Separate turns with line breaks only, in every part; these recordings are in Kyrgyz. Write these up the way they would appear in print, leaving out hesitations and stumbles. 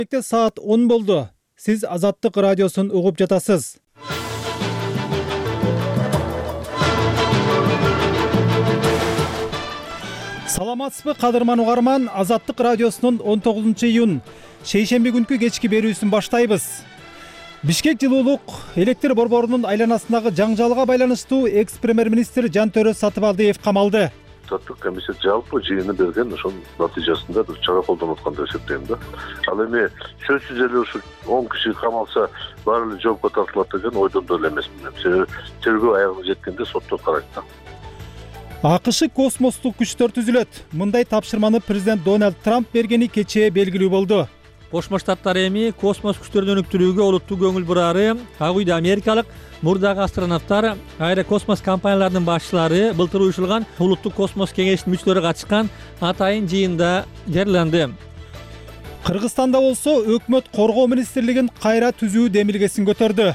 Саат 10 болду. Сиз Азаттык радиосун угуп жатасыз. Саламатсызбы кадырман угарман, Азаттык радиосунун 19-июнь шейшемби күнкү кечки берүүсүн баштайбыз. Бишкек жылуулук электр борборунун айланасындагы жаңжалга байланыштуу экс-премьер-министр Жантөрө Сатыбалдиев камалды.
Комиссия жалпы жыйыны берген ошонун натыйжасында бир чара колдонуп аткан деп эсептейм да. Ал эми сөзсүз эле ушу 10 киши камалса баары эле жоопко тартылат деген ойдон да эле эмесмин. Себеби тергөө аягына жеткенде сотто карайт да.
АКШ космостук күчтөр түзүлөт. Мындай тапшырманы президент Дональд Трамп бергени кечээ белгилүү болду.
Кошмо Штаттар эми космос күчтөрүн өнүктүрүүгө олуттуу көңүл бурары. Ак үйдө америкалык мурдагы астронавттар, аэрокосмос компанияларынын башчылары былтыр уюшулган улуттук космос кеңешинин мүчөлөрү катышкан атайын жыйында жарыяланды.
Кыргызстанда болсо өкмөт коргоо министрлигин кайра түзүү демилгесин көтөрдү.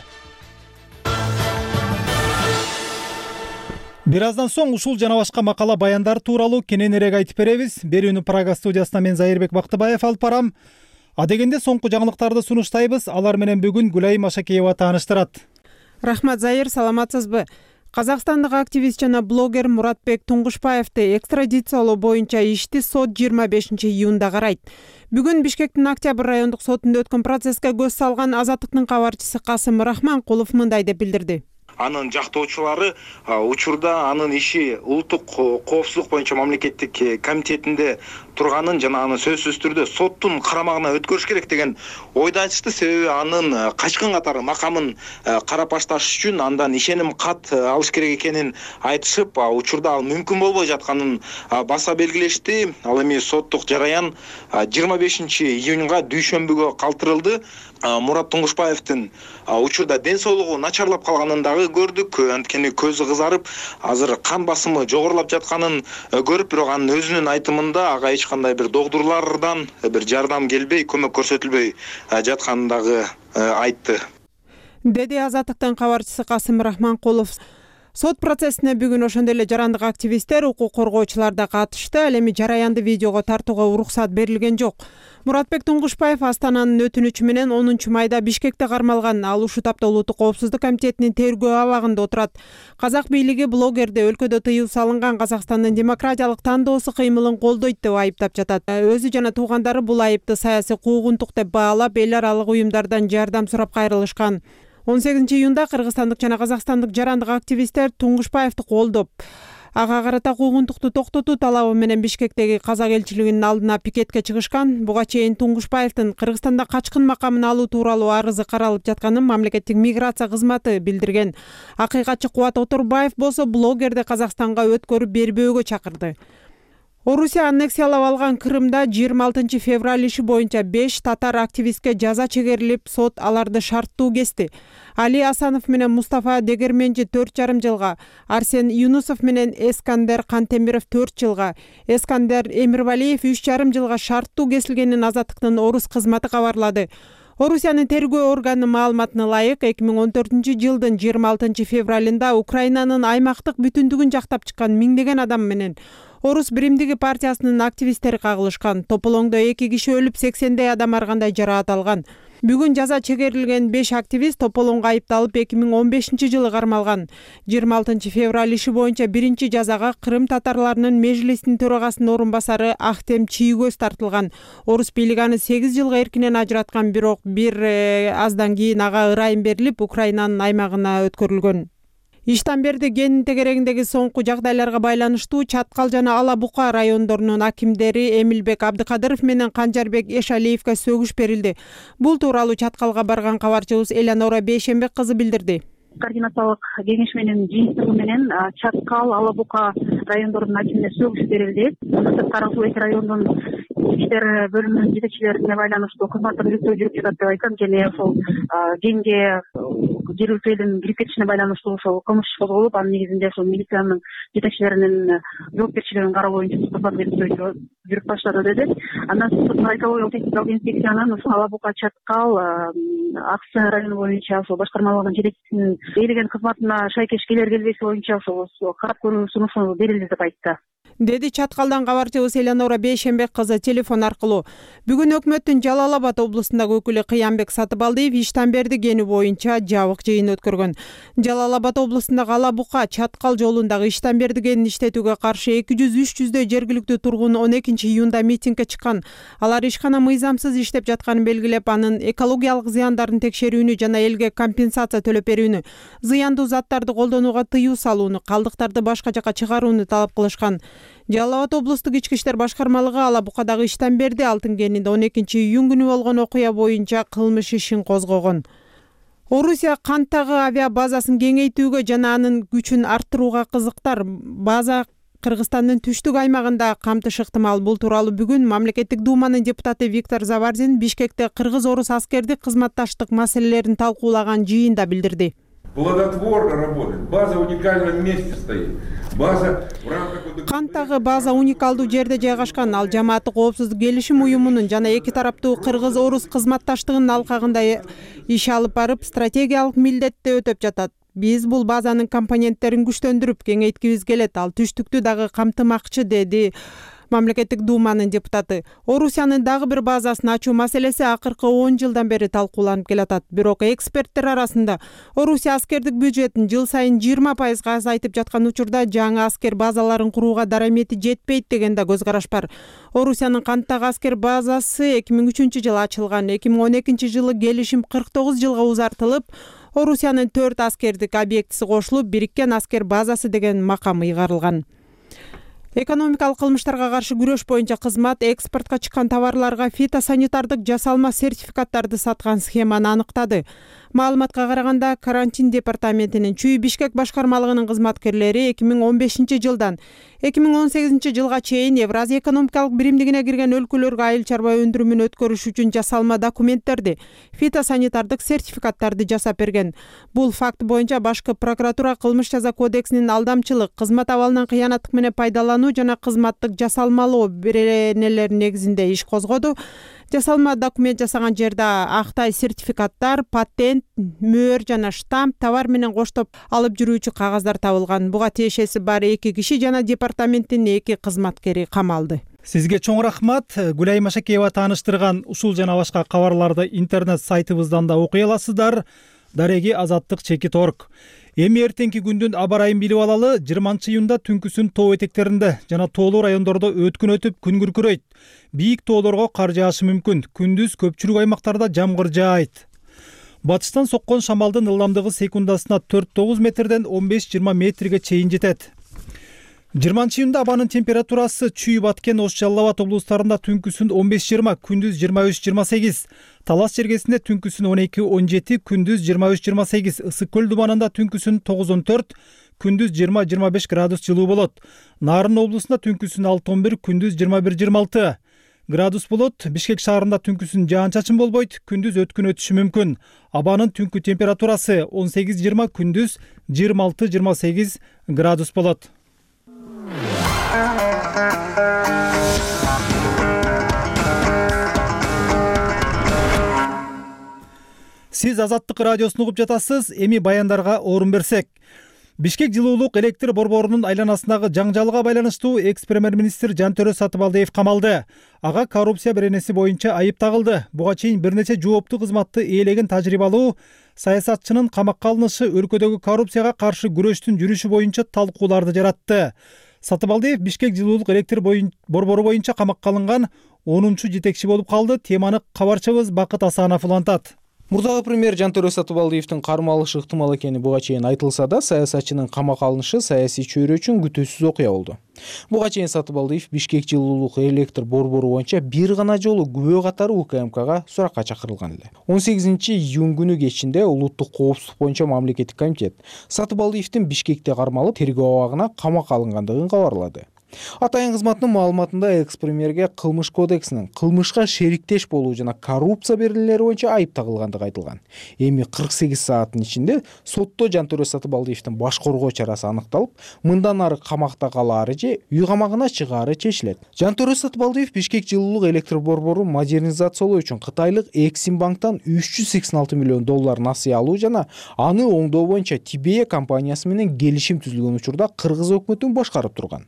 Бир аздан соң ушул жана башка макала баяндар тууралуу кененирээк айтып беребиз. Берүүнү Прага студиясынан мен Зайырбек Бактыбаев алып барам. Адегенде соңку жаңылыктарды сунуштайбыз. Алар менен бүгүн Гүлай Машакеева тааныштырат.
Рахмат, Зайыр, саламатсызбы? Казакстандык активист жана блогер Муратбек Туңгушбаевди экстрадициялоо боюнча ишти сот 25-июнда карайт. Бүгүн Бишкектин Октябрь райондук сотунда өткөн процесске көз салган Азаттыктын кабарчысы Касым Рахманкулов мындай деп билдирди.
Анын жактоочулары учурда анын иши улуттук коопсуздук боюнча мамлекеттик комитетинде турганын жана аны сөзсүз түрдө соттун карамагына өткөрүш керек деген ойду айтышты. Себеби анын качкын катары макамын карап башташ үчүн андан ишеним кат алыш керек экенин айтышып, учурда ал мүмкүн болбой жатканын баса белгилешти. Ал эми соттук жараян 25-июнга дүйшөмбүгө калтырылды. Мурат Туңгушбаевдин учурда ден соолугу начарлап калганын дагы көрдүк. Анткени көзү кызарып, азыр кан басымы жогорулап жатканын көрүп, бирок анын өзүнүн айтымында ага эч кандай бир догдурлардан бир жардам келбей, көмөк көрсөтүлбөй жатканын дагы айтты.
Деди Азаттыктын кабарчысы Касым Рахманкулов. Сот процессине бүгүн ошондой эле жарандык активисттер, укук коргоочулар да катышты. Ал эми жараянды видеого тартууга уруксат берилген жок. Муратбек Туңгушбаев Астананын өтүнүчү менен 10 майда Бишкекте кармалган. Ал ушул тапта улуттук коопсуздук комитетинин тергөө абагында отурат. Казак бийлиги блогерди өлкөдө тыюу салынган Казакстандын демократиялык тандоосу кыймылын колдойт деп айыптап жатат. Өзү жана туугандары бул айыпты саясий куугунтук деп баалап, эл аралык уюмдардан жардам сурап кайрылышкан. 18-июнда кыргызстандык жана казакстандык жарандык активисттер Туңгушбаевди колдоп, ага карата куугунтукту токтотуу талабы менен Бишкектеги казак элчилигинин алдына пикетке чыгышкан. Буга чейин Туңгушбаевдин Кыргызстанда качкын макамын алуу тууралуу арызы каралып жатканын мамлекеттик миграция кызматы билдирген. Акыйкатчы Кубат Оторбаев болсо блогерди Казакстанга өткөрүп бербөөгө чакырды. Орусия аннексиялап алган Крымда 26 февраль иши боюнча 5 татар активистке жаза чегерилип, сот аларды шарттуу кести. Али Асанов менен Мустафа Дегерменжи 4,5 жылга, Арсен Юнусов менен Эскандер Кантемиров 4 жылга, Эскандер Эмирвалиев 3,5 жылга шарттуу кесилгенин Азаттыктын Орус кызматы кабарлады. Орусиянын тергөө органынын маалыматына ылайык, 2014 жылдын 26 февралында Украинанын аймактык бүтүндүгүн жактап чыккан миңдеген адам менен Орус биримдиги партиясынын активисттери кагылышкан. Тополоңдо 2 киши өлүп, 80дей адам ар кандай жараат алган. Бүгүн жаза чегерилген 5 активист Тополоңго айыпталып 2015 жылы кармалган. 26 февраль иши боюнча биринчи жазага Крым татарларынын межлисинин төрагасынын орун басары Ахтем Чийгөз тартылган. Орус бийлиги аны 8 жылга эркинен ажыраткан, бирок бир аздан кийин ага ырайым берилип, Украинанын аймагына өткөрүлгөн. Иштамберди кенинин тегерегиндеги соңку жагдайларга байланыштуу Чаткал жана Ала Бука райондорунун акимдери Эмилбек Абдыкадыров менен Канжарбек Эшалиевге сөгүш берилди. Бул тууралуу Чаткалга барган кабарчыбыз Элянора Бейшембек кызы билдирди.
Координациялык кеңеш менен жыйынтыгы менен Чаткал, Ала Бука райондорунун акимине сөгүш берилди. Карасуу эки райондун иштер бөлүмүнүн жетекчилерине байланыштуу кызматтык иликтөө жүрүп жатат деп айткан. Және ошол кенге жергиликтүү элдин кирип кетишине байланыштуу ошол кылмыш иш козголуп, анын негизинде ошол милициянын жетекчилеринин жоопкерчилигин кароо боюнча кызматтык иликтөө жүрүп баштады деди. Андан соң экологиялык техникалык инспекциянын ошол Ала Бука, Чаткал, Аксы району боюнча ошол башкармалыгынын жетекчисинин берилген кызматына шайкеш келер келбеси боюнча ошол карап көрүү сунушу берилди деп айтты.
деди Чаткалдан кабарчыбыз Элеонора Бейшенбек кызы телефон аркылуу. Бүгүн өкмөттүн Жалал Абад облусундагы өкүлү Кыянбек Сатыбалдиев Иштанберди кени боюнча жабык жыйын өткөргөн. Жалал Абад облусундагы Ала Бука Чаткал жолундагы Иштанберди кенин иштетүүгө каршы 200-300дөй жергиликтүү тургун 12-июнда митингге чыккан. Алар ишкана мыйзамсыз иштеп жатканын белгилеп, анын экологиялык зыяндарын текшерүүнү жана элге компенсация төлөп берүүнү, зыяндуу заттарды колдонууга тыюу салууну, калдыктарды башка жака чыгарууну талап кылышкан. Жалал Абад облустук ички иштер башкармалыгы Ала Букадагы Иштанберди алтын кенинде 12-июнь күнү болгон окуя боюнча кылмыш ишин козгогон. Орусия канттагы авиа базасын кеңейтүүгө жана анын күчүн арттырууга кызыктар. База Кыргызстандын түштүк аймагында камтыш ыктымал. Бул тууралуу бүгүн мамлекеттик думанын депутаты Виктор Заварзин Бишкекте кыргыз-орус аскердик кызматташтык маселелерин талкуулаган жыйында билдирди.
Плодотворно работает. База в уникальном месте стоит. База в рамках...
Канттагы база уникалдуу жерде жайгашкан. Ал жамааттык коопсуздук келишим уюмунун жана эки тараптуу кыргыз-орус кызматташтыгынын алкагында иш алып барып, стратегиялык милдетти өтөп жатат. Биз бул базанын компоненттерин күчтөндүрүп, кеңейткибиз келет. Ал түштүктү дагы камтымакчы, деди мамлекеттик думанын депутаты. Орусиянын дагы бир базасын ачуу маселеси акыркы 10 жылдан бери талкууланып келатат. Бирок эксперттер арасында Орусия аскердик бюджетин жыл сайын 20% азайтып жаткан учурда жаңы аскер базаларын курууга дарамети жетпейт деген да көз караш бар. Орусиянын канттагы аскер базасы 2003 жылы ачылган. 2012 жылы келишим 49 жылга узартылып, Орусиянын 4 аскердик объектиси кошулуп, бириккен аскер базасы деген макам ыйгарылган. Экономикалык кылмыштарга каршы күрөш боюнча кызмат экспортко чыккан товарларга фитосанитардык жасалма сертификаттарды саткан схеманы аныктады. Маалыматка караганда, карантин департаментинин Чүй Бишкек башкармалыгынын кызматкерлери 2015 жылдан 2018 жылга чейин Евразия экономикалык биримдигине кирген өлкөлөргө айыл чарба өндүрүмүн өткөрүш үчүн жасалма документтерди, фитосанитардык сертификаттарды жасап берген. Бул факт боюнча башкы прокуратура кылмыш жаза кодексинин алдамчылык, кызмат абалынан кыянаттык менен пайдалануу жана кызматтык жасалмалоо беренелери негизинде иш козгоду. Жасалма документ жасаган жерде актай сертификаттар, патент, мөөр жана штамп, товар менен коштоп алып жүрүүчү кагаздар табылган. Буга тиешеси бар 2 киши жана департаменттин 2 кызматкери камалды.
Сизге чоң рахмат. Гүлай Машакеева тааныштырган ушул жана башка кабарларды интернет сайтыбыздан да окуй аласыздар. Дареги Азаттык Чекит.org. Эми эртеңки күндүн аба ырайын билип алалы. 20-июнда түнкүсүн тоо этектеринде жана тоолуу райондордо өткүн өтүп, күн күркүрөйт. Бийик тоолорго кар жаашы мүмкүн. Күндүз көпчүлүк аймактарда жамгыр жаайт. Батыштан соккон шамалдын ылдамдыгы секундасына 4-9 метрден 15-20 метрге чейин жетет. 20-июнда абанын температурасы Чүй, Баткен, Ош, Жалал Абад облустарында түнкүсүн 15-20, күндүз 23-28. Талас жергесинде түнкүсүн 12-17, күндүз 23-28. Ысык көл думанында түнкүсүн 9-14, күндүз 20-25 градус жылуу болот. Нарын облусунда түнкүсүн 6-11, күндүз 21-26 градус болот. Бишкек шаарында түнкүсүн жаан-чачын болбойт, күндүз өткүн өтүшү мүмкүн. Абанын түнкү температурасы 18-20, күндүз 26-28 градус болот. Сиз Азаттык радиосун угуп жатасыз. Эми баяндарга орун берсек. Бишкек жылуулук электр борборунун айланасындагы жаңжалга байланыштуу экс-премьер-министр Жантөрө Сатыбалдиев камалды. Ага коррупция беренеси боюнча айып тагылды. Буга чейин бир нече жооптуу кызматты ээлеген тажрыйбалуу саясатчынын камакка алынышы өлкөдөгү коррупцияга каршы күрөштүн жүрүшү боюнча талкууларды жаратты. Сатыбалдиев Бишкек жылуулук электр борбору боюнча камакка алынган 10-чу жетекчи болуп калды. Теманы кабарчыбыз Бакыт Асанов улантат.
Мурдагы премьер Жантөрө Сатыбалдиевдин кармалышы ыктымал экени буга чейин айтылса да, саясатчынын камакка алынышы саясий чөйрө үчүн күтүүсүз окуя болду. Буга чейин Сатыбалдиев Бишкек жылуулук электр борбору боюнча бир гана жолу күбө катары УКМКга суракка чакырылган эле. 18-июнь күнү кечинде улуттук коопсуздук боюнча мамлекеттик комитет Сатыбалдиевдин Бишкекте кармалып тергөө абагына камакка алынгандыгын кабарлады. Атайын кызматынын маалыматында экс-премьерге кылмыш кодексинин кылмышка шериктеш болуу жана коррупция беренелери боюнча айып тагылгандыгы айтылган. Эми 48 сааттын ичинде сотто Жантөрө Сатыбалдиевдин баш коргоо чарасы аныкталып, мындан ары камакта калаары же үй камагына чыгаары чечилет. Жантөрө Сатыбалдиев Бишкек жылуулук электр борборун модернизациялоо үчүн Кытайлык Эксимбанктан $386 миллион насыя алуу жана аны оңдоо боюнча Тибея компаниясы менен келишим түзүлгөн учурда кыргыз өкмөтүн башкарып турган.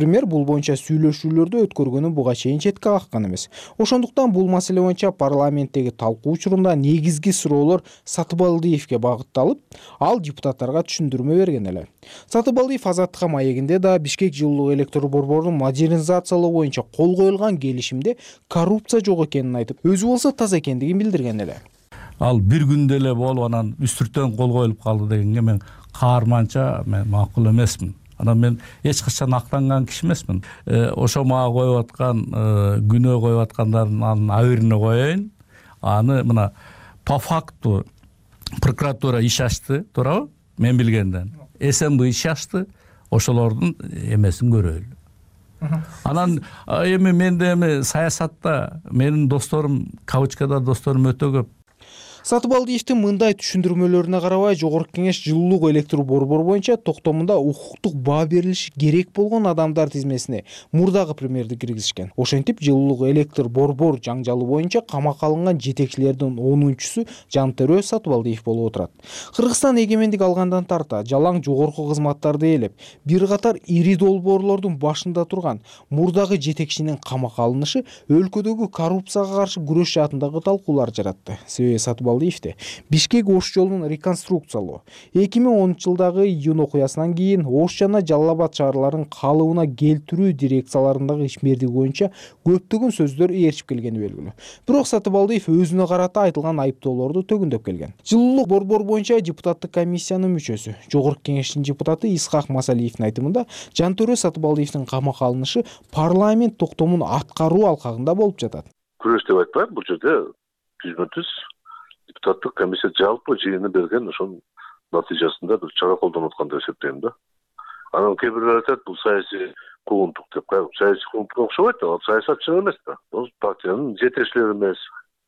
премьер бул боюнча сүйлөшүүлөрдү өткөргөнүн буга чейин четке каккан эмес. Ошондуктан бул маселе боюнча парламенттеги талкуу учурунда негизги суроолор Сатыбалдиевге багытталып, ал депутаттарга түшүндүрмө берген эле. Сатыбалдиев Азаттыкка маегинде да Бишкек жылуулук электр борборун модернизациялоо боюнча кол коюлган келишимде коррупция жок экенин айтып, өзү болсо таза экендигин билдирген эле.
Ал бир күндө эле болуп анан үстүртөн кол коюлуп калды дегенге мен каарманча макул эмесмин. Анан мен эч качан актанган киши эмесмин. Ошо мага коюп аткан күнөө коюп аткандардын айырына коеюн. Аны мына по факту прокуратура иш ачты, туурабы? Мен билгенден. СМБ иш ачты. Ошолордун эмесин көрөлү. Анан эми менде саясатта менин досторум, кавычкада досторум өтө көп.
Сатыбалдиевдин мындай түшүндүрмөлөрүнө карабай, Жогорку Кеңеш жылуулук электр борбору боюнча токтомунда укуктук баа берилиши керек болгон адамдар тизмесине мурдагы премьерди киргизишкен. Ошентип, жылуулук электр борбор жаңжалы боюнча камакка алынган жетекчилердин 10-чусу Жантөрө Сатыбалдиев болуп отурат. Кыргызстан эгемендик алгандан тарта жалаң жогорку кызматтарды ээлеп, бир катар ири долбоорлордун башында турган мурдагы жетекчинин камакка алынышы өлкөдөгү коррупцияга каршы күрөш жаатындагы талкуулар жаратты. Себеби Сатыбалдиев Бишкек Ош жолун реконструкциялоо, 2010-жылдагы июнь окуясынан кийин Ош жана Жалал Абад шаарларын калыбына келтирүү дирекцияларындагы ишмердиги боюнча көптөгөн сөздөр ээрчип келгени белгилүү. Бирок Сатыбалдиев өзүнө карата айтылган айыптоолорду төгүндөп келген. Жылуулук борбор боюнча депутаттык комиссиянын мүчөсү, Жогорку Кеңештин депутаты Исхак Масалиевдин айтымында, Жантөрө Сатыбалдиевдин камакка алынышы парламент токтомун аткаруу алкагында болуп жатат.
Күрөш деп айтпайм, бул жерде түзмө-түз депутаттык комиссия жалпы жыйыны берген ошонун натыйжасында бир чара колдонуп аткан деп эсептейм да. Анан кээ бирлер айтат, бул саясий куугунтук деп. Саясий куугунтукка окшобойт да, ал саясатчы эмес да. Бул партиянын жетекчилери эмес.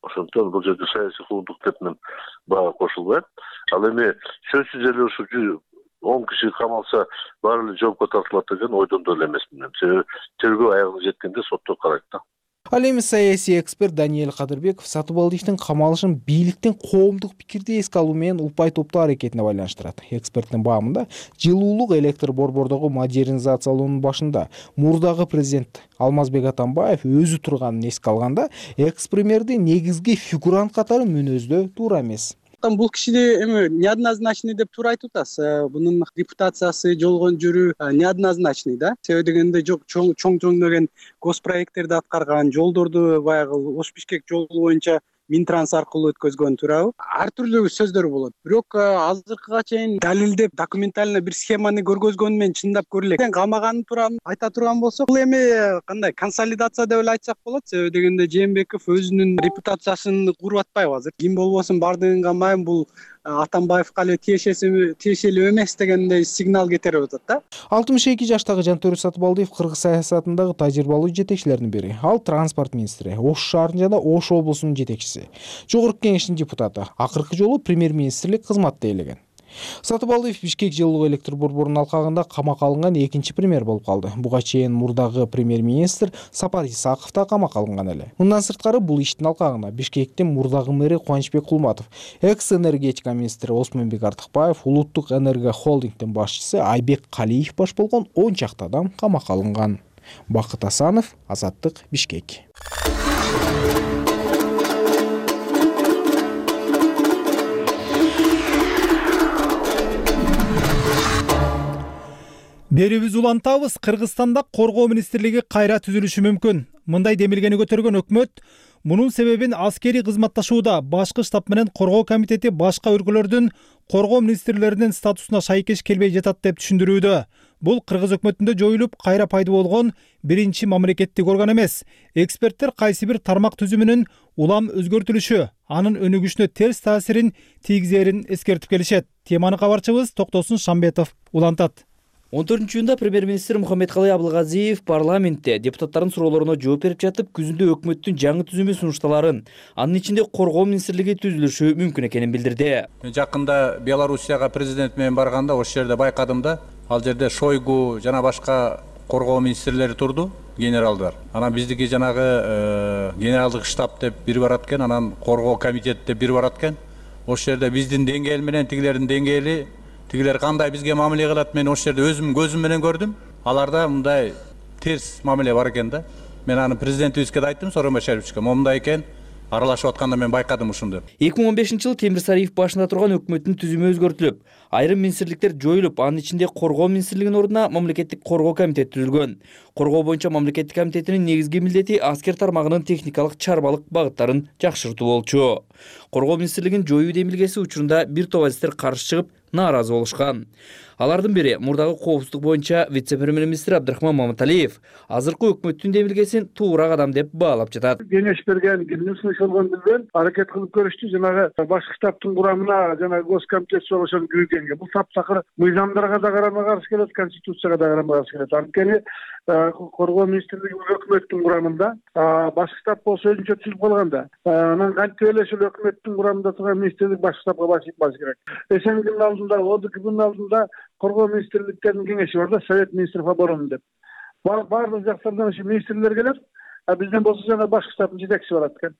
Ошондуктан бул жерде саясий куугунтук деп мен бага кошулбайм. Ал эми сөзсүз эле ушу 10 киши камалса баары эле жоопко тартылат деген ойдон да эле эмесмин. Себеби тергөө аягына жеткенде соттор карайт да.
Ал эми саясий эксперт Даниэль Кадырбеков Сатыбалдиевдин камалышын бийликтин коомдук пикирди эске алуу менен упай топтоо аракетине байланыштырат. Эксперттин баамында, жылуулук электр борбордогу модернизациялоонун башында мурдагы президент Алмазбек Атамбаев өзү турганын эске алганда, экс-премьерди негизги фигурант катары мүнөздөө туура эмес.
Бул кишиди эми неоднозначный деп туура айтып атасыз. Бунун репутациясы, жолгон жүрүү неоднозначный да. Себеби дегенде чоң деген госпроекттерди аткарган, жолдорду баягы Ош-Бишкек жолу боюнча Минтранс аркылуу өткөзгөн, туурабы? Ар түрдүү сөздөр болот. Бирок азыркыга чейин далилдеп, документально бир схеманы көргөзгөнү менен чындап көрө элек. Камаганын тууралуу айта турган болсок, бул эми кандай консолидация деп эле айтсак болот. Себеби дегенде Жээнбеков өзүнүн репутациясын куруп атпайбы азыр? Ким болбосун бардыгын камайм, бул Атамбаевка эле тиешелүү эмес дегендей сигнал кетирип атат да.
62 жаштагы Жантөрө Сатыбалдиев кыргыз саясатындагы тажрыйбалуу жетекчилердин бири. Ал транспорт министри, Ош шаарынын жана Ош облусунун жетекчиси, Жогорку Кеңештин депутаты, акыркы жолу премьер-министрлик кызматты ээлеген. Сатыбалдиев Бишкек жылуулук электр борборунун алкагында камакка алынган экинчи премьер болуп калды. Буга чейин мурдагы премьер-министр Сапар Исаков да камакка алынган эле. Мындан сырткары бул иштин алкагында Бишкектин мурдагы мэри Кубанычбек Кулматов, экс-энергетика министри Осмонбек Артыкбаев, улуттук энерго холдингдин башчысы Айбек Калиев баш болгон 10 чакты адам камакка алынган. Бакыт Асанов, Азаттык, Бишкек.
Берүүбүз улантабыз. Кыргызстанда коргоо министрлиги кайра түзүлүшү мүмкүн. Мындай демилгени көтөргөн өкмөт мунун себебин аскерий кызматташууда башкы штаб менен коргоо комитети башка өлкөлөрдүн коргоо министрлеринин статусуна шайкеш келбей жатат деп түшүндүрүүдө. Бул кыргыз өкмөтүндө жоюлуп кайра пайда болгон биринчи мамлекеттик орган эмес. Эксперттер кайсы бир тармак түзүмүнүн улам өзгөртүлүшү анын өнүгүшүнө терс таасирин тийгизерин эскертип келишет. Теманы кабарчыбыз Токтосун Шамбетов улантат.
14-июнда премьер-министр Мухаммедкалый Абылгазиев парламентте депутаттардын суроолоруна жооп берип жатып, күзүндө өкмөттүн жаңы түзүмү сунушталарын, анын ичинде коргоо министрлиги түзүлүшү мүмкүн экенин билдирди.
Мен жакында Белоруссияга президент менен барганда ошол жерде байкадым да, ал жерде Шойгу жана башка коргоо министрлери турду, генералдар. Анан биздики жанагы генералдык штаб деп бири барат экен, анан коргоо комитет деп бири барат экен. Ошол жерде биздин деңгээл менен тигилердин деңгээли, тигилер кандай бизге мамиле кылат, мен ошол жерде өзүм көзүм менен көрдүм. Аларда мындай терс мамиле бар экен да. Мен аны президентибизге да айттым, Сооронбай Башаровичке. Момундай экен, аралашып атканда мен байкадым ушунду.
2015-жылы Темир Сариев башында турган өкмөттүн түзүмү өзгөртүлүп, айрым министрликтер жоюлуп, анын ичинде Коргоо министрлигинин ордуна мамлекеттик коргоо комитети түзүлгөн. Коргоо боюнча мамлекеттик комитетинин негизги милдети аскер тармагынын техникалык чарбалык багыттарын жакшыртуу болчу. Коргоо министрлигинин жоюу демилгеси учурунда бир топ азиттер каршы чыгып, нааразы болушкан. Алардын бири мурдагы коопсуздук боюнча вице-премьер-министр Абдрахман Маматалиев азыркы өкмөттүн демилгесин туура кадам деп баалап жатат.
Кеңеш берген, кимдин болгон билбейм, аракет кылып көрүштү, жанагы башкы штабтын курамына жанагы госкомитет ошону күйгөнгө. Бул таптакыр мыйзамдарга да карама каршы келет, конституцияга да карама каршы келет. Анткени Коргоо министрлиги өкмөттүн курамында, башкы штаб болсо өзүнчө түзүлүп калган да. Анан кантип эле ушул өкмөттүн курамында турган министрлик башкы штабка баш керек. Эсенгилдин алдында, ОДКБнын алдында Коргоо министрликтеринин кеңеши бар да, Совет министров обороны деп. Баардык жактардан ушу министрлер келет, а бизден болсо жана башкы штабтын жетекчиси барат экен.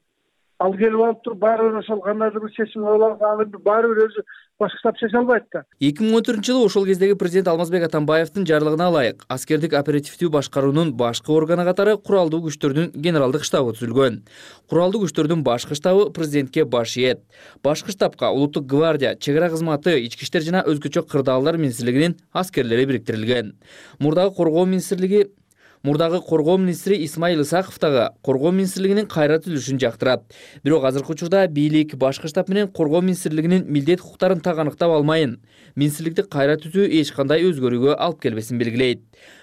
Ал келип алып туруп баары бир ошол кандайдыр бир чечим кабыл алып, баары бир өзү башкы штаб чече албайт да.
2014-жылы ошол кездеги президент Алмазбек Атамбаевдин жарлыгына ылайык аскердик оперативдүү башкаруунун башкы органы катары куралдуу күчтөрдүн генералдык штабы түзүлгөн. Куралдуу күчтөрдүн башкы штабы президентке баш ийет. Башкы штабка улуттук гвардия, чек ара кызматы, ички иштер жана өзгөчө кырдаалдар министрлигинин аскерлери бириктирилген. Мурдагы коргоо министри Исмаил Исаков дагы коргоо министрлигинин кайра түзүлүшүн жактырат. Бирок азыркы учурда бийлик башкы штаб менен коргоо министрлигинин милдет укуктарын так аныктап алмайын. Министрликти кайра түзүү эч кандай өзгөрүүгө алып келбесин белгилейт.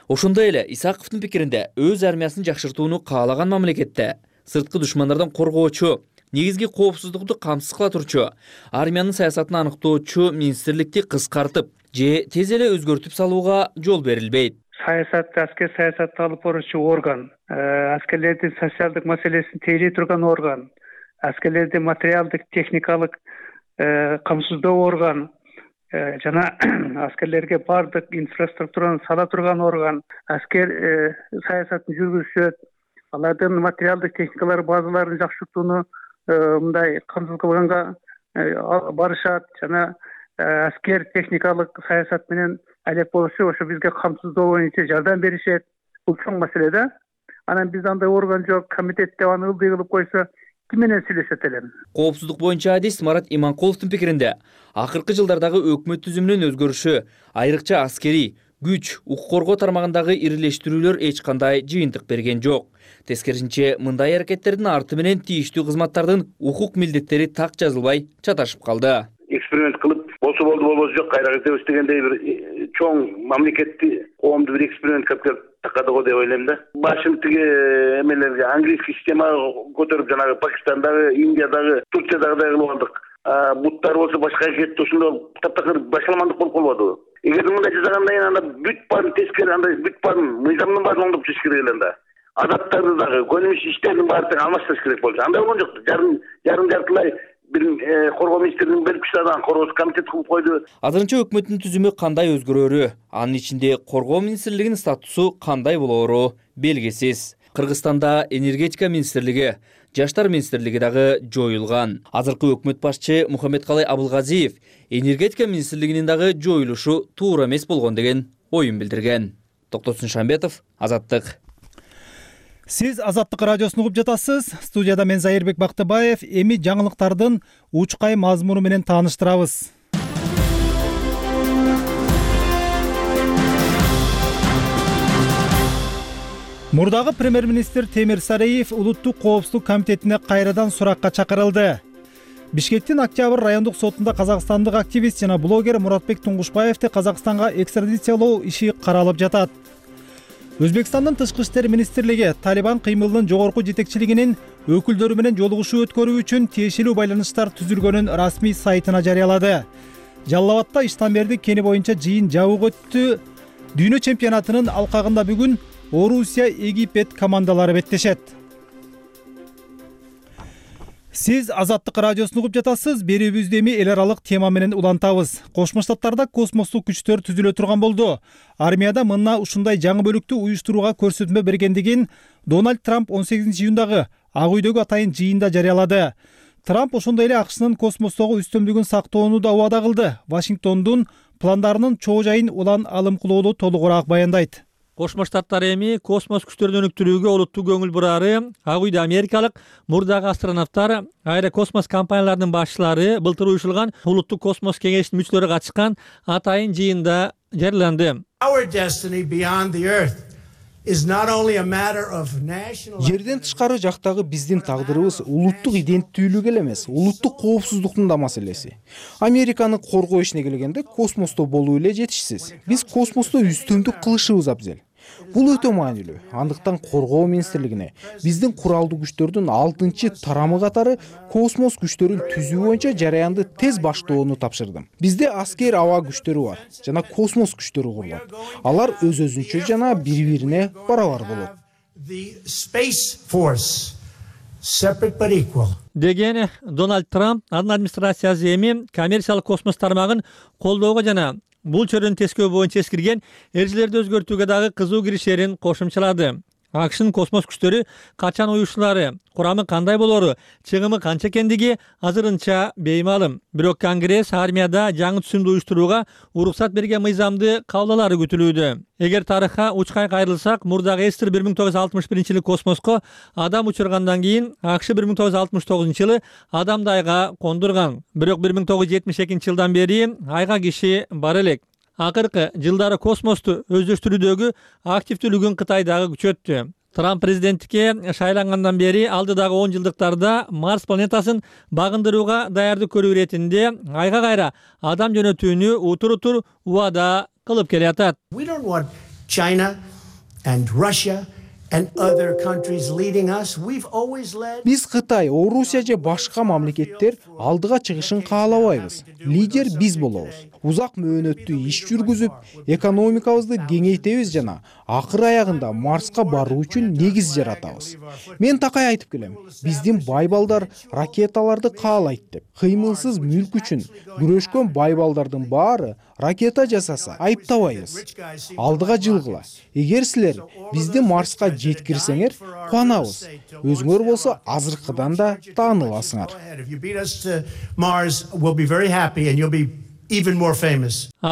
Ошондой эле Исаковдун пикиринде өз армиясын жакшыртууну каалаган мамлекетте сырткы душмандардан коргоочу, негизги коопсуздукту камсыз кыла турчу, армиянын саясатын аныктоочу министрликти кыскартып же тез эле өзгөртүп салууга жол берилбейт.
Аскер саясатты алып баруучу орган, аскерлердин социалдык маселесин тейлей турган орган, аскерлердин материалдык, техникалык камсыздоо орган, жана аскерлерге баардык инфраструктураны сала турган орган, аскер саясатын жүргүзүшөт, алардын материалдык техникалар базаларын жакшыртууну мындай камсыз кылганга барышат, жана аскер техникалык саясат менен алек болушу, ошо бизге камсыздоо боюнча жардам беришет. Бул чоң маселе да. Анан биз андай орган жок, комитет деп аны ылдый кылып койсо, ким менен сүйлөшөт элем?
Коопсуздук боюнча адис Марат Иманкуловдун пикиринде, акыркы жылдардагы өкмөт түзүмүнүн өзгөрүшү, айрыкча аскери, күч, укук коргоо тармагындагы ирилештирүүлөр эч кандай жыйынтык берген жок. Тескерисинче, мындай аракеттердин арты менен тийиштүү кызматтардын укук милдеттери так жазылбай чаташып калды.
Эксперимент кылып, болсо болду, болбосо жок, кайра кетебиз дегендей бир чоң мамлекетти, коомду бир эксперимент кылып келип такады го деп ойлойм да. Башым тиги эмелерге английский системага көтөрүп, жанагы Пакистандагы, Индиядагы, Турциядагыдай кылып алдык. Буттар болсо башка кетти, ошондо таптакыр башаламандык болуп калбадыбы? Эгер мындай жасагандан кийин анда бүт баарын тескери, андай бүт баарын мыйзамдын баарын оңдоп чыгыш керек эле да. Адаттарды дагы, көнүмүш иштердин баарын алмаштырыш керек болчу. Андай болгон жок. Жарым жартылай бир коргоо министрлигинин берип күчтөрүн коргоо комитет кылып койду.
Азырынча өкмөттүн түзүмү кандай өзгөрөрү, анын ичинде коргоо министрлигинин статусу кандай болоору белгисиз. Кыргызстанда энергетика министрлиги, жаштар министрлиги дагы жоюлган. Азыркы өкмөт башчы Мухаммедкалый Абылгазиев энергетика министрлигинин дагы жоюлушу туура эмес болгон деген оюн билдирген. Токтосун Шамбетов, Азаттык.
Сиз Азаттык радиосун угуп жатасыз. Студияда мен Зайырбек Бактыбаев. Эми жаңылыктардын учкай мазмуну менен тааныштырабыз. Мурдагы премьер-министр Темир Сариев улуттук коопсуздук комитетине кайрадан суракка чакырылды. Бишкектин Октябрь райондук сотунда казакстандык активист жана блогер Муратбек Туңгушбаевди Казакстанга экстрадициялоо иши каралып жатат. Өзбекстандын тышкы иштер министрлиги Талибан кыймылынын жогорку жетекчилигинин өкүлдөрү менен жолугушуу өткөрүү үчүн тиешелүү байланыштар түзүлгөнүн расмий сайтына жарыялады. Жалал Абадта Иштанбердин кени боюнча жыйын жабык өттү. Дүйнө чемпионатынын алкагында бүгүн Орусия, Египет командалары беттешет. Сиз Азаттык радиосун угуп жатасыз. Берүүбүздү эми эл аралык тема менен улантабыз. Кошмо Штаттарда космостук күчтөр түзүлө турган болду. Армияда мына ушундай жаңы бөлүктү уюштурууга көрсөтмө бергендигин Дональд Трамп 18-июндагы Ак үйдөгү атайын жыйында жарыялады. Трамп ошондой эле АКШнын космостогу үстөмдүгүн сактоону да убада кылды. Вашингтондун пландарынын чоо жайын улан алым кылууну толугураак баяндайт.
Кошмо Штаттар эми космос күчтөрүн өнүктүрүүгө олуттуу көңүл бурары Ак үйдө америкалык мурдагы астронавттар, аэрокосмос компанияларынын башчылары былтыр уюшулган улуттук космос кеңешинин мүчөлөрү катышкан атайын жыйында жарыяланды.
Жерден тышкары жактагы биздин тагдырыбыз улуттук иденттүүлүк эле эмес, улуттук коопсуздуктун да маселеси. Американы коргоо ишине келгенде космосто болуу эле жетишсиз. Биз космосто үстүмдүк кылышыбыз абзел. Бул өтө маанилүү. Андыктан коргоо министрлигине биздин куралдуу күчтөрдүн 6-чы тарамы катары космос күчтөрүн түзүү боюнча жараянды тез баштоону тапшырдым. Бизде аскер аба күчтөрү бар жана космос күчтөрү курулат. Алар өз-өзүнчө жана бири-бирине барабар болот.
Деген Дональд Трамп анын администрациясы эми коммерциялык космос тармагын колдоого жана бул чөрөнү тескөө боюнча эскирген эрежелерди өзгөртүүгө дагы кызуу киришерин кошумчалады. АКШнын космос күчтөрү качан уюшулары, курамы кандай болору, чыгымы канча экендиги азырынча беймалым. Бирок Конгресс армияда жаңы түзүмдү уюштурууга уруксат берген мыйзамды кабыл алары күтүлүүдө. Эгер тарыхка учкай кайрылсак, мурдагы Эстер 1961-жылы космоско адам учургандан кийин АКШ 1969-жылы адамды айга кондурган. Бирок 1972-жылдан бери айга киши бар элек. Акыркы жылдары космосту өздөштүрүүдөгү активдүүлүгүн Кытай дагы күчөттү. Трамп президенттикке шайлангандан бери алдыдагы 10 жылдыктарда Марс планетасын багындырууга даярдык көрүү иретинде айга кайра адам жөнөтүүнү утур убада кылып келатат.
Биз Кытай, Орусия же башка мамлекеттер алдыга чыгышын каалабайбыз. Лидер биз болобуз. Узак мөөнөттүү иш жүргүзүп, экономикабызды кеңейтебиз жана акыр аягында Марска баруу үчүн негиз жаратабыз. Мен такай айтып келем. Биздин байбалдар ракеталарды каалайт деп. Кыймылсыз мүлк үчүн күрөшкөн байбалдардын баары ракета жасаса айыптабайбыз. Алдыга жылгыла. Эгер силер бизди Марска жеткирсеңер, кубанабыз. Өзүңөр болсо азыркыдан да тааныласыңар.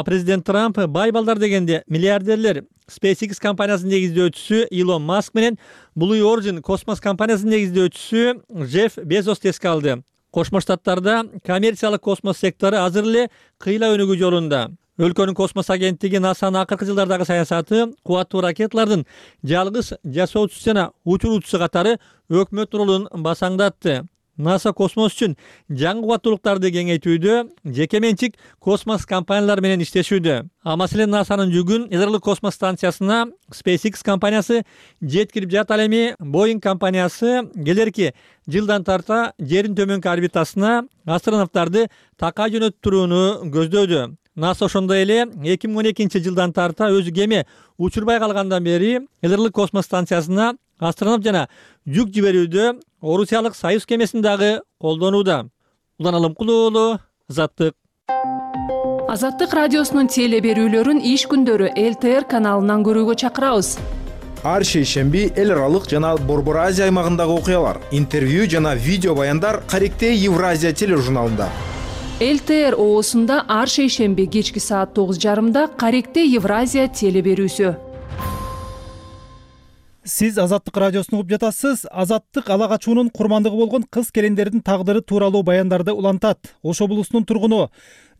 Президент Трамп байбалдар дегенде миллиардерлер SpaceX компаниясынын негиздөөчүсү Илон Маск менен Blue Origin космос компаниясынын негиздөөчүсү Джефф Безосты эске алды. Кошмо Штаттарда коммерциялык космос сектору азыр эле кыйла өнүгүү жолунда. Өлкөнүн космос агенттиги НАСАнын акыркы жылдардагы саясаты кубаттуу ракеталардын жалгыз жасоочусу жана учуруучусу катары өкмөт ролун басаңдатты. НАСА космос үчүн жаңы кубаттуулуктарды кеңейтүүдө жеке менчик космос компаниялары менен иштешүүдө. Маселен, НАСАнын жүгүн Эдерлик космос станциясына SpaceX компаниясы жеткирип жатат. Ал эми Boeing компаниясы келерки жылдан тарта жердин төмөнкү орбитасына астронавттарды такай жөнөтүп турууну көздөдү. НАСА ошондой эле 2012-жылдан тарта өзү кеме учурбай калгандан бери Эдерлик космос станциясына астронавт жана жүк жиберүүдө Орусиялык Союз кемесин дагы колдонууда. Улан Алымкулуу, Азаттык.
Азаттык радиосунун теле берүүлөрүн иш күндөрү ЛТР каналынан көрүүгө чакырабыз.
Ар шейшемби эл аралык жана Борбор Азия аймагындагы окуялар, интервью жана видео баяндар Каректе Евразия тележурналында.
ЛТР оосунда ар шейшемби кечки саат 9:30 Каректе Евразия теле берүүсү.
Сиз Азаттык радиосун угуп жатасыз. Азаттык ала качуунун курмандыгы болгон кыз келиндердин тагдыры тууралуу баяндарды улантат. Ош облусунун тургуну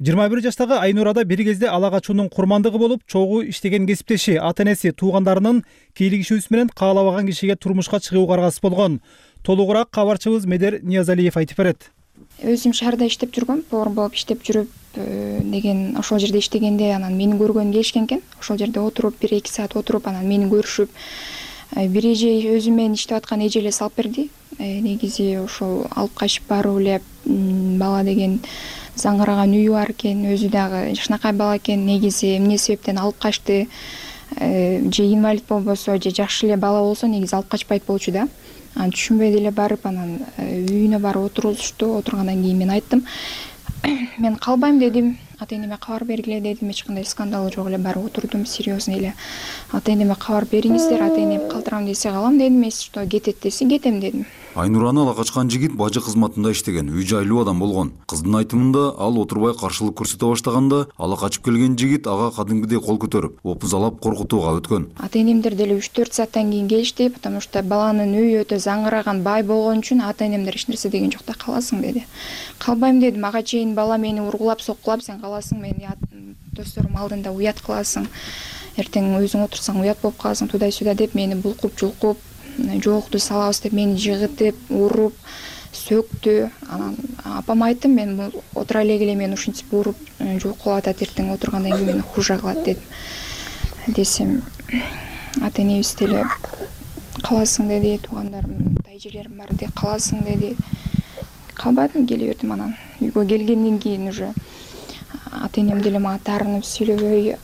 21 жаштагы Айнурада бир кезде ала качуунун курмандыгы болуп, чогуу иштеген кесиптеши, ата-энеси, туугандарынын кийлигишүүсү менен каалабаган кишиге турмушка чыгууга аргасыз болгон. Толугураак кабарчыбыз Медер Ниязалиев айтып берет.
Өзүм шаарда иштеп жүргөм, повар болуп иштеп жүрүп, деген ошол жерде иштегенде анан мени көргөнү келишкен экен. Ошол жерде отуруп 1-2 саат отуруп, анан мени көрүшүп, бир эже өзү менен иштеп аткан эже эле салып берди. Негизи ошол алып качып баруу эле бала деген заңгыраган үйү бар экен, өзү дагы жакшынакай бала экен. Негизи эмне себептен алып качты, же инвалид болбосо, же жакшы эле бала болсо негизи алып качпайт болчу да. Анан түшүнбөй деле барып, анан үйүнө барып отурулушту. Отургандан кийин мен айттым, мен калбайм дедим. Ата-энеме кабар бергиле дедим. Эч кандай скандал жок эле, барып отурдум серьезно эле. Ата-энеме кабар бериңиздер, ата-энем калтырам десе калам дедим, эс что кетет десе кетем дедим.
Айнураны ала качкан жигит бажы кызматында иштеген, үй жайлуу адам болгон. Кыздын айтымында ал отурбай каршылык көрсөтө баштаганда ала качып келген жигит ага кадимкидей кол көтөрүп, опузалап коркутууга өткөн.
Ата-энемдер деле 3-4 сааттан кийин келишти, потому что баланын үйү өтө заңыраган, бай болгон үчүн ата-энемдер эч нерсе деген жок да, каласың деди. Калбайм дедим, ага чейин бала мени ургулап, соккулап, сен каласың, мени досторум алдында уят кыласың. Эртең өзүң отурсаң уят болуп каласың, тудай-сюдай деп мени булкуп-жулкуп, жоокту салабыз деп мени жыгытып, уруп, сөктү. Анан апам айттым, мен отура эле мени ушинтип уруп, жулкулап атат, эртең отургандан кийин мени хужа кылат дедим. Десем, ата-энебиз деле каласың деди, туугандарым, тайжелерим бар деди, каласың деди. Калбадым, келе бердим. Анан үйгө келгенден кийин уже ата-энем деле мага таарынып сүйлөбөй,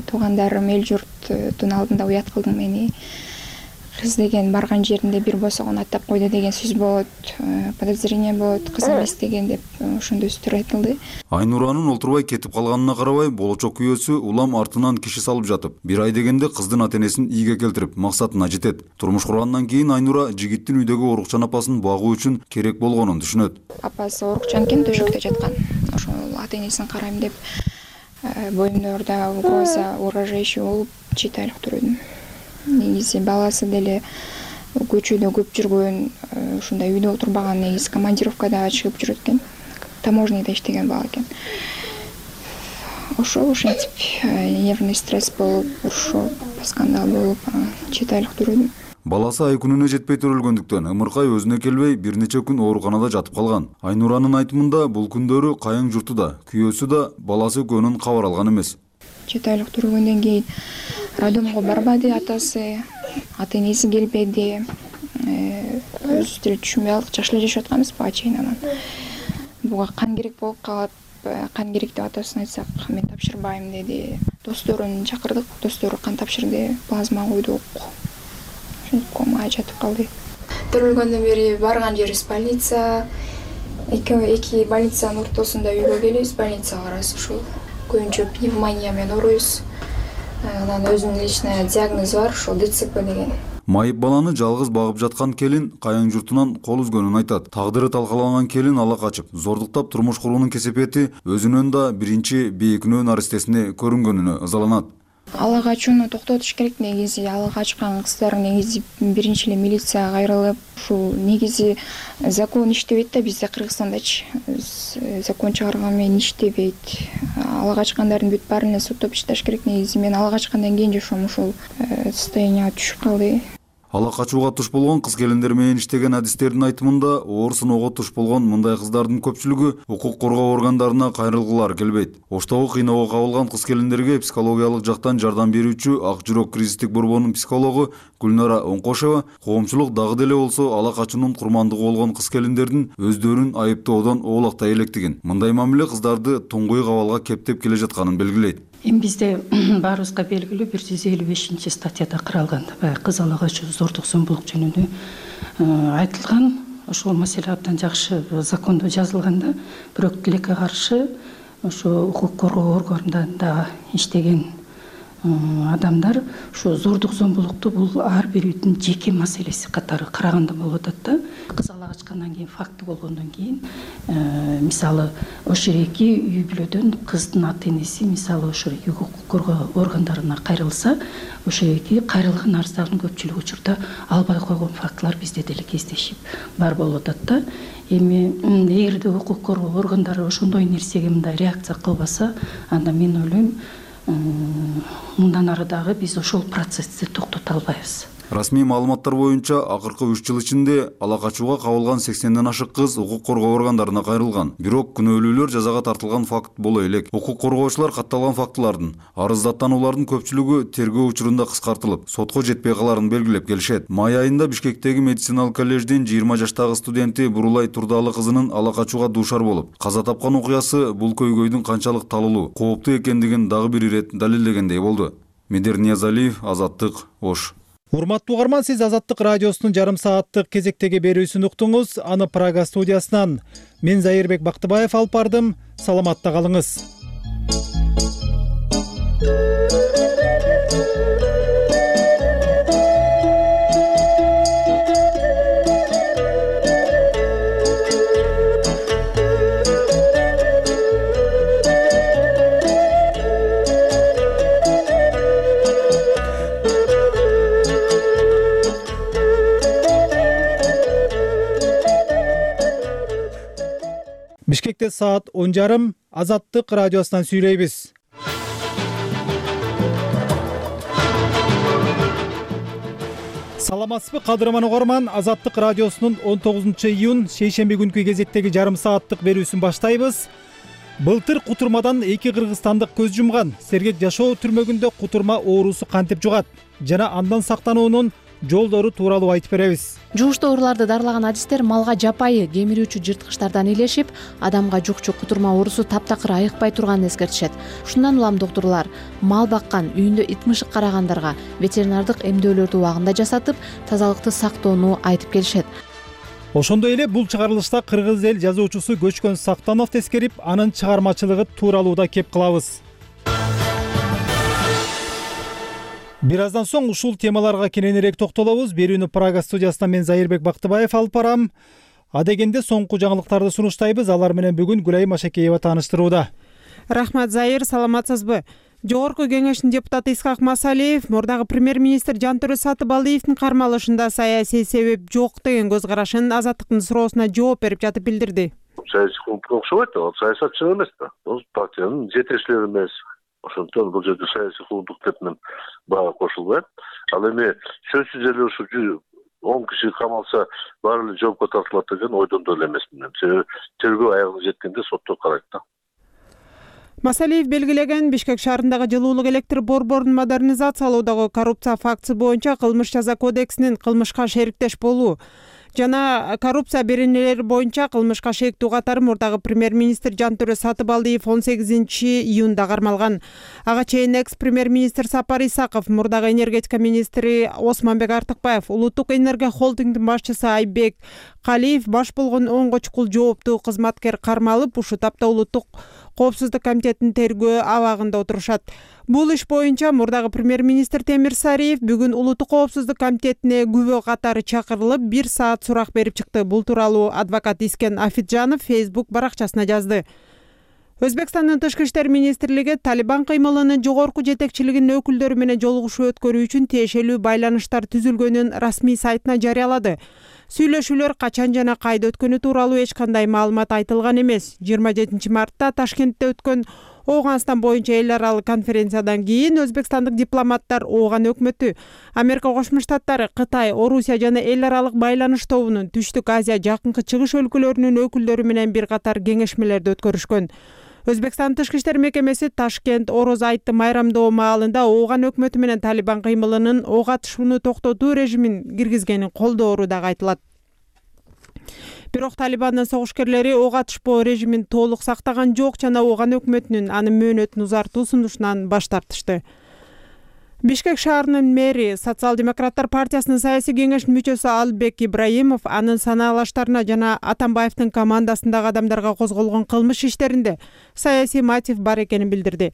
туугандарым, эл журттун алдында уят кылдың мени. Кыз деген барган жеринде бир босогон аттап койду деген сөз болот, подозрение болот, кыз эмес деген деп ошондой сөздөр айтылды.
Айнуранын олтурбай кетип калганына карабай, болочок күйөөсү улам артынан киши салып жатып, 1 ай дегенде кыздын ата-энесин ийге келтирип, максатына жетет. Турмуш кургандан кийин Айнура жигиттин үйдөгү орукчан апасын багуу үчүн керек болгонун түшүнөт.
Апасы орукчан экен, төшөктө жаткан. Ошол ата-энесин карайм деп боюмда угроза, угрожающий болуп 7 айлык турдум. Негизи баласы деле көчөдө көп жүргөн, ушундай үйдө отурбаган, негизи командировкада чыгып жүрөт экен. Таможняда иштеген бала экен. Ошентип нервный стресс болуп, урушуп, скандал болуп, 7 айлык турдум.
Баласы ай күнүнө жетпей төрөлгөндүктөн ымыркай өзүнө келбей бир нече күн ооруканада жатып калган. Айнуранын айтымында бул күндөрү кайын журту да, күйөөсү да баласы экөөнүн кабар алган эмес.
7 айлык тургөндөн кийин роддомго барбады атасы, ата-энеси келбеди. Өзүбүз деле түшүнбөй алдык, жакшы эле жашап атканбыз буга чейин. Анан буга кан керек болуп калып, кан керек деп атасына айтсак, мен тапшырбайм деди. Досторун чакырдык, достору кан тапшырды, плазма койдук. Комага жатып калды. Төрөлгөндөн бери барган жерибиз больница. Эки больницанын ортосунда үйгө келебиз, больницага барабыз. Ушул көбүнчө пневмония менен ооруйбуз. Анан өзүнүн личный диагнозу бар, ошол ДЦП деген.
Майып баланы жалгыз багып жаткан келин кайын журтунан кол үзгөнүн айтат. Тагдыры талкаланган келин ала качып, зордуктап турмуш куруунун кесепети өзүнөн да биринчи бейкүнөө наристесине көрүнгөнүнө ызаланат.
Ала качууну токтотуш керек. Негизи ала качкан кыздар негизи биринчи эле милицияга кайрылып, ушул негизи закон иштебейт да бизде Кыргызстандачы. Закон чыгарган менен иштебейт. Ала качкандардын бүт баарын эле соттоп иштеш керек. Негизи мен ала качкандан кийин жашоом ушул состоянияга түшүп калды.
Ала качууга туш болгон кыз келиндер менен иштеген адистердин айтымында, оор сыноого туш болгон мындай кыздардын көпчүлүгү укук коргоо органдарына кайрылгылары келбейт. Оштогу кыйноого кабылган кыз келиндерге психологиялык жактан жардам берүүчү Ак жүрөк кризистик борборунун психологу Гүлнара Оңкошева коомчулук дагы деле болсо ала качуунун курмандыгы болгон кыз келиндердин өздөрүн айыптоодон оолактай электигин, мындай мамиле кыздарды туңгуй кабалга кептеп келе жатканын белгилейт.
Эми бизде баарыбызга белгилүү 155 статьяда каралган кыз ала качуу, зордук зомбулук жөнүндө айтылган. Ошол маселе абдан жакшы закондо жазылган да. Бирок тилекке каршы ошо укук коргоо органдарында иштеген адамдар ушу зордук зомбулукту бул ар бирүүнүн жеке маселеси катары караганда болуп атат да. Кыз ала качкандан кийин, факты болгондон кийин, мисалы ошол эки үй бүлөдөн кыздын ата-энеси мисалы ошо укук коргоо органдарына кайрылса, ошо эки кайрылган арыздардын көпчүлүк учурда албай койгон фактылар бизде деле кездешип бар болуп атат да. Эми эгерде укук коргоо органдары ошондой нерсеге мындай реакция кылбаса, анда мен ойлойм мындан ары дагы биз ошол процессти токтото албайбыз.
Расмий маалыматтар боюнча акыркы 3 жыл ичинде ала качууга кабылган 80ден ашык кыз укук коргоо органдарына кайрылган. Бирок күнөөлүүлөр жазага тартылган факт боло элек. Укук коргоочулар катталган фактылардын, арыздаттануулардын көпчүлүгү тергөө учурунда кыскартылып, сотко жетпей каларын белгилеп келишет. Май айында Бишкектеги медициналык коллеждин 20 жаштагы студенти Бурулай Турдалы кызынын ала качууга дуушар болуп, каза тапкан окуясы бул көйгөйдүн канчалык талулуу, кооптуу экендигин дагы бир ирет далилдегендей болду. Медер Ниязалиев, Азаттык, Ош.
Урматтуу угарман, сиз Азаттык радиосунун жарым сааттык кезектеги берүүсүн уктуңуз. Аны Прага студиясынан мен Зайырбек Бактыбаев алып бардым. Саламатта калыңыз. чейшембиде саат 10:30 Азаттык радиосунан сүйлөйбүз. Саламатсызбы кадырман угарман, Азаттык радиосунун 19-июнь шейшемби күнкү кезектеги жарым сааттык берүүсүн баштайбыз. Былтыр кутурмадан 2 кыргызстандык көз жумган. Сергек жашоо түрмөгүндө кутурма оорусу кантип жугат жана андан сактануунун жолдору тууралуу айтып беребиз.
Жугуштуу ооруларды дарылаган адистер малга жапайы кемирүүчү жырткычтардан илешип, адамга жукчу кутурма оорусу таптакыр айыкпай турганын эскертишет. Ушундан улам доктурлар мал баккан, үйүндө ит мышык карагандарга ветеринардык эмдөөлөрдү убагында жасатып, тазалыкты сактоону айтып келишет.
Ошондой эле бул чыгарылышта кыргыз эл жазуучусу Көчкөн Сактанов тескерип, анын чыгармачылыгы тууралуу да кеп кылабыз. Бир аздан соң ушул темаларга кененирээк токтолобуз. Берүүнү Прага студиясынан мен Зайырбек Бактыбаев алып барам. Адегенде соңку жаңылыктарды сунуштайбыз. Алар менен бүгүн Гүлайым Ашекеева тааныштырууда.
Рахмат, Зайыр, саламатсызбы? Жогорку кеңештин депутаты Исхак Масалиев мурдагы премьер-министр Жантөрө Сатыбалдиевдин кармалышында саясий себеп жок деген көз карашын Азаттыктын суроосуна жооп берип жатып билдирди.
Саясий клубга окшобойт, ал саясатчы эмес да. Ол партиянын жетекчилери эмес. Ошондон бул жерде саясий клубдук деп мен бага кошулбайм. Ал эми сөзсүз эле ушу 10 киши камалса баары эле жоопко тартылат деген ойдон деле эмесмин. Себеби тергөө аягына жеткенде сотто карайт да.
Масалиев белгилеген Бишкек шаарындагы жылуулук электр борборун модернизациялоодогу коррупция фактысы боюнча кылмыш жаза кодексинин кылмышка шериктеш болуу жана коррупция беренелери боюнча кылмышка шектүү катары мурдагы премьер-министр Жантөрө Сатыбалдиев 18-июнда кармалган. Ага чейин экс-премьер-министр Сапар Исаков, мурдагы энергетика министри Осмонбек Артыкбаев, улуттук энергия холдингдин башчысы Айбек Калиев баш болгон 10 чукул жооптуу кызматкер кармалып, ушу тапта улуттук коопсуздук комитетинин тергөө абагында отурушат. Бул иш боюнча мурдагы премьер-министр Темир Сариев бүгүн улуттук коопсуздук комитетине күбө катары чакырылып, 1 саат сурак берип чыкты. Бул тууралуу адвокат Искен Афиджанов Facebook баракчасына жазды. Өзбекстандын тышкы иштер министрлиги Талибан кыймылынын жогорку жетекчилигинин өкүлдөрү менен жолугушуу өткөрүү үчүн тиешелүү байланыштар түзүлгөнүн расмий сайтына жарыялады. Сүйлөшүүлөр качан жана кайда өткөнү тууралуу эч кандай маалымат айтылган эмес. 27 мартта Ташкентте өткөн Ооганстан боюнча эл аралык конференциядан кийин өзбекстандык дипломаттар Ооган өкмөтү, Америка Кошмо Штаттары, Кытай, Орусия жана эл аралык байланыш тобунун Түштүк Азия, Жакынкы Чыгыш өлкөлөрүнүн өкүлдөрү менен бир катар кеңешмелерди өткөрүшкөн. Өзбекстан тышкы иштер мекемеси Ташкент Ороз айтты майрамдоо маалында Ооган өкмөтү менен Талибан кыймылынын ок атышууну токтотуу режимин киргизгенин колдоору дагы айтылат. Бирок Талибандын согушкерлери ок атышпоо режимин толук сактаган жок жана Ооган өкмөтүнүн анын мөөнөтүн узартуу сунушунан баш тартышты. Бишкек шаарынын мэри Социал-демократтар партиясынын саясий кеңештин мүчөсү Албек Ибраимов анын санаалаштарына жана Атамбаевдин командасындагы адамдарга козголгон кылмыш иштеринде саясий мотив бар экенин билдирди.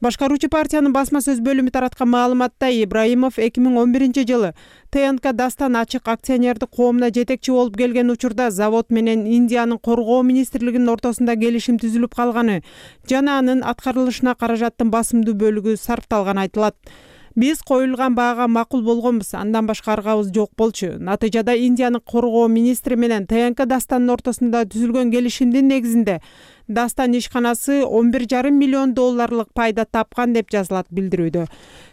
Башкаруучу партиянын басма сөз бөлүмү тараткан маалыматта Ибраимов 2011-жылы ТНК Дастан ачык акционердик коомуна жетекчи болуп келген учурда завод менен Индиянын коргоо министрлигинин ортосунда келишим түзүлүп калганы жана анын аткарылышына каражаттын басымдуу бөлүгү сарпталганы айтылат. Биз коюлган баага макул болгонбуз, андан башка аргабыз жок болчу. Натыйжада Индиянын коргоо министри менен ТНК Дастанын ортосунда түзүлгөн келишимдин негизинде Дастан ишканасы $11,5 миллион пайда тапкан деп жазылат билдирүүдө.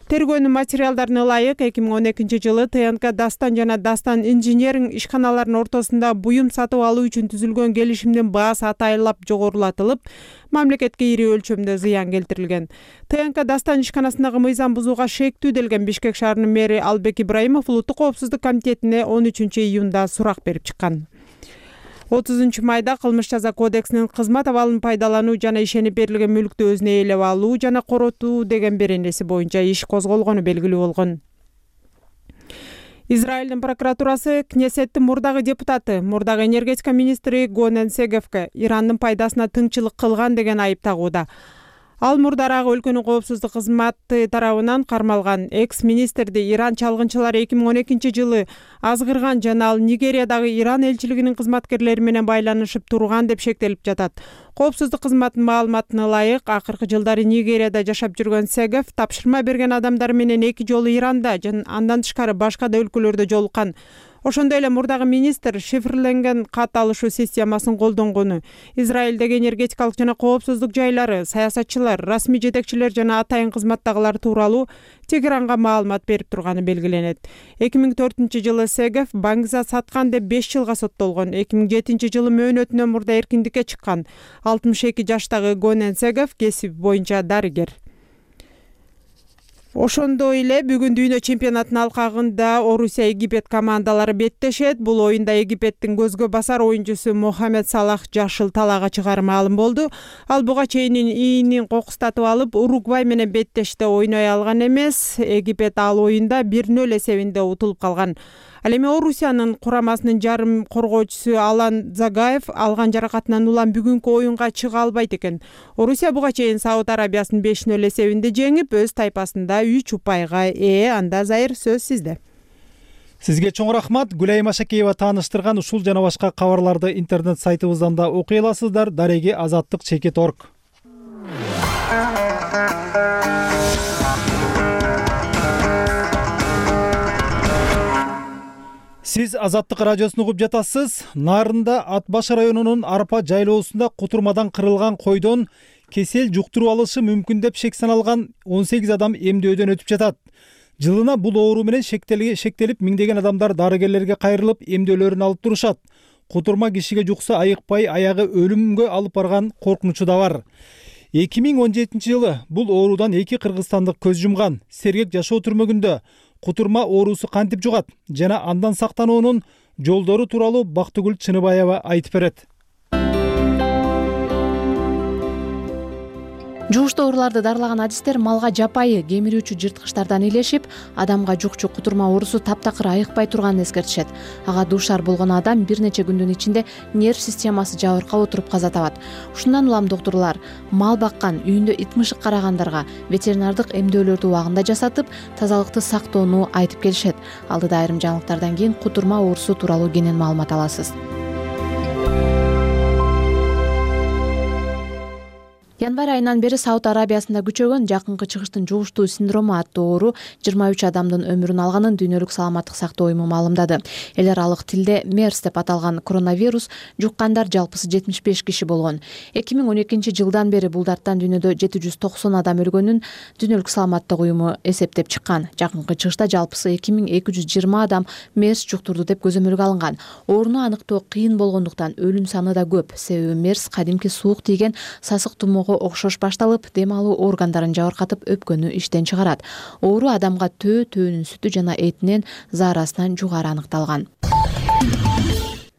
Тергөөнүн материалдарына ылайык 2012-жылы ТНК Дастан жана Дастан инженеринг ишканаларынын ортосунда буюм сатып алуу үчүн түзүлгөн келишимдин баасы атайылап жогорулатылып, мамлекетке ири өлчөмдө зыян келтирилген. ТНК Дастан ишканасындагы мыйзам бузууга шектүү делген Бишкек шаарынын мэри Албек Ибраимов улуттук коопсуздук комитетине 13-июнда сурак берип чыккан. 30-майда кылмыш жаза кодексинин кызмат абалын пайдалануу жана ишенип берилген мүлктү өзүнө ээлеп алуу жана коротуу деген беренеси боюнча иш козголгону белгилүү болгон. Израилдин прокуратурасы Кнессеттин мурдагы депутаты, мурдагы энергетика министри Гонен Сегевке Ирандын пайдасына тыңчылык кылган деген айып тагууда. Ал мурдарагы өлкөнүн коопсуздук кызматы тарабынан кармалган экс-министрди Иран чалгынчылары 2012-жылы азгырган жана ал Нигериядагы Иран элчилигинин кызматкерлери менен байланышып турган деп шектелип жатат. Коопсуздук кызматынын маалыматына ылайык, акыркы жылдары Нигерияда жашап жүргөн Сегев тапшырма берген адамдар менен 2 жолу Иранда жана андан тышкары башка да өлкөлөрдө жолуккан. Ошондой эле мурдагы министр шифрленген кат алышуу системасын колдонгону, Израилдеги энергетикалык жана коопсуздук жайлары, саясатчылар, расмий жетекчилер жана атайын кызматтагылар тууралуу Тегеранга маалымат берип турганы белгиленет. 2004-жылы Сегев Баңгза саткан деп 5 жылга соттолгон. 2007-жылы мөөнөтүнөн мурда эркиндикке чыккан. 62 жаштагы Гонен Сегев кесип боюнча дарыгер. Ошондой эле бүгүн дүйнө чемпионатынын алкагында Орусия Египет командалары беттешет. Бул оюнда Египеттин көзгө басар оюнчусу Мохамед Салах жашыл талаага чыгары маалым болду. Ал буга чейин ийнин кокустатып алып, Уругвай менен беттеште ойной алган эмес. Египет ал оюнда 1-0 эсебинде утулуп калган. Ал эми Орусиянын курамасынын жарым коргоочусу Алан Загаев алган жаракатынан улам бүгүнкү оюнга чыга албайт экен. Орусия буга чейин Сауд Арабиясын 5-0 эсебинде жеңип, өз тайпасында 3 упайга ээ. Анда Зайыр, сөз сизде.
Сизге чоң рахмат. Гүлайым Ашакеева тааныштырган ушул жана башка кабарларды интернет сайтыбыздан да окуй аласыздар. Дареги azatlyk.org. Сиз Азаттык радиосун угуп жатасыз. Нарында Ат баш районунун Арпа жайлоосунда кутурмадан кырылган койдон кесел жуктуруп алышы мүмкүн деп шек саналган 18 адам эмдөөдөн өтүп жатат. Жылына бул оору менен шектелип миңдеген адамдар дарыгерлерге кайрылып эмдөөлөрүн алып турушат. Кутурма кишиге жукса айыкпай аягы өлүмгө алып барган коркунучу да бар. 2017-жылы бул оорудан 2 кыргызстандык көз жумган. Сергек жашоо түрмөгүндө кутурма оорусу кантип жугат жана андан сактануунун жолдору тууралуу Бактыгүл Чыныбаева айтып берет.
Жугуштуу ооруларды дарылаган адистер малга жапайы кемирүүчү жырткычтардан илешип, адамга жукчу кутурма оорусу таптакыр айыкпай турганын эскертишет. Ага дуушар болгон адам бир нече күндүн ичинде нерв системасы жабыркап отуруп каза табат. Ушундан улам доктурлар мал баккан, үйүндө ит мышык карагандарга ветеринардык эмдөөлөрдү убагында жасатып, тазалыкты сактоону айтып келишет. Алдыда айрым жаңылыктардан кийин кутурма оорусу тууралуу кенен маалымат аласыз. Январь айынан бери Сауд Арабиясында күчөгөн жакынкы чыгыштын жугуштуу синдрому аттуу оору 23 адамдын өмүрүн алганын Дүйнөлүк саламаттык сактоо уюму маалымдады. Эл аралык тилде MERS деп аталган коронавирус жуккандар жалпысы 75 киши болгон. 2012-жылдан бери бул дарттан дүйнөдө 790 адам өлгөнүн Дүйнөлүк саламаттык уюму эсептеп чыккан. Жакынкы чыгышта жалпысы 2220 адам MERS жуктурду деп көзөмөлгө алынган. Ооруну аныктоо кыйын болгондуктан өлүм саны да көп. Себеби MERS кадимки суук тийген сасык тумоого окшош башталып, дем алуу органдарын жабыркатып, өпкөнү иштен чыгарат. Оору адамга төөнүн сүтү жана этинен заарасынан жугары аныкталган.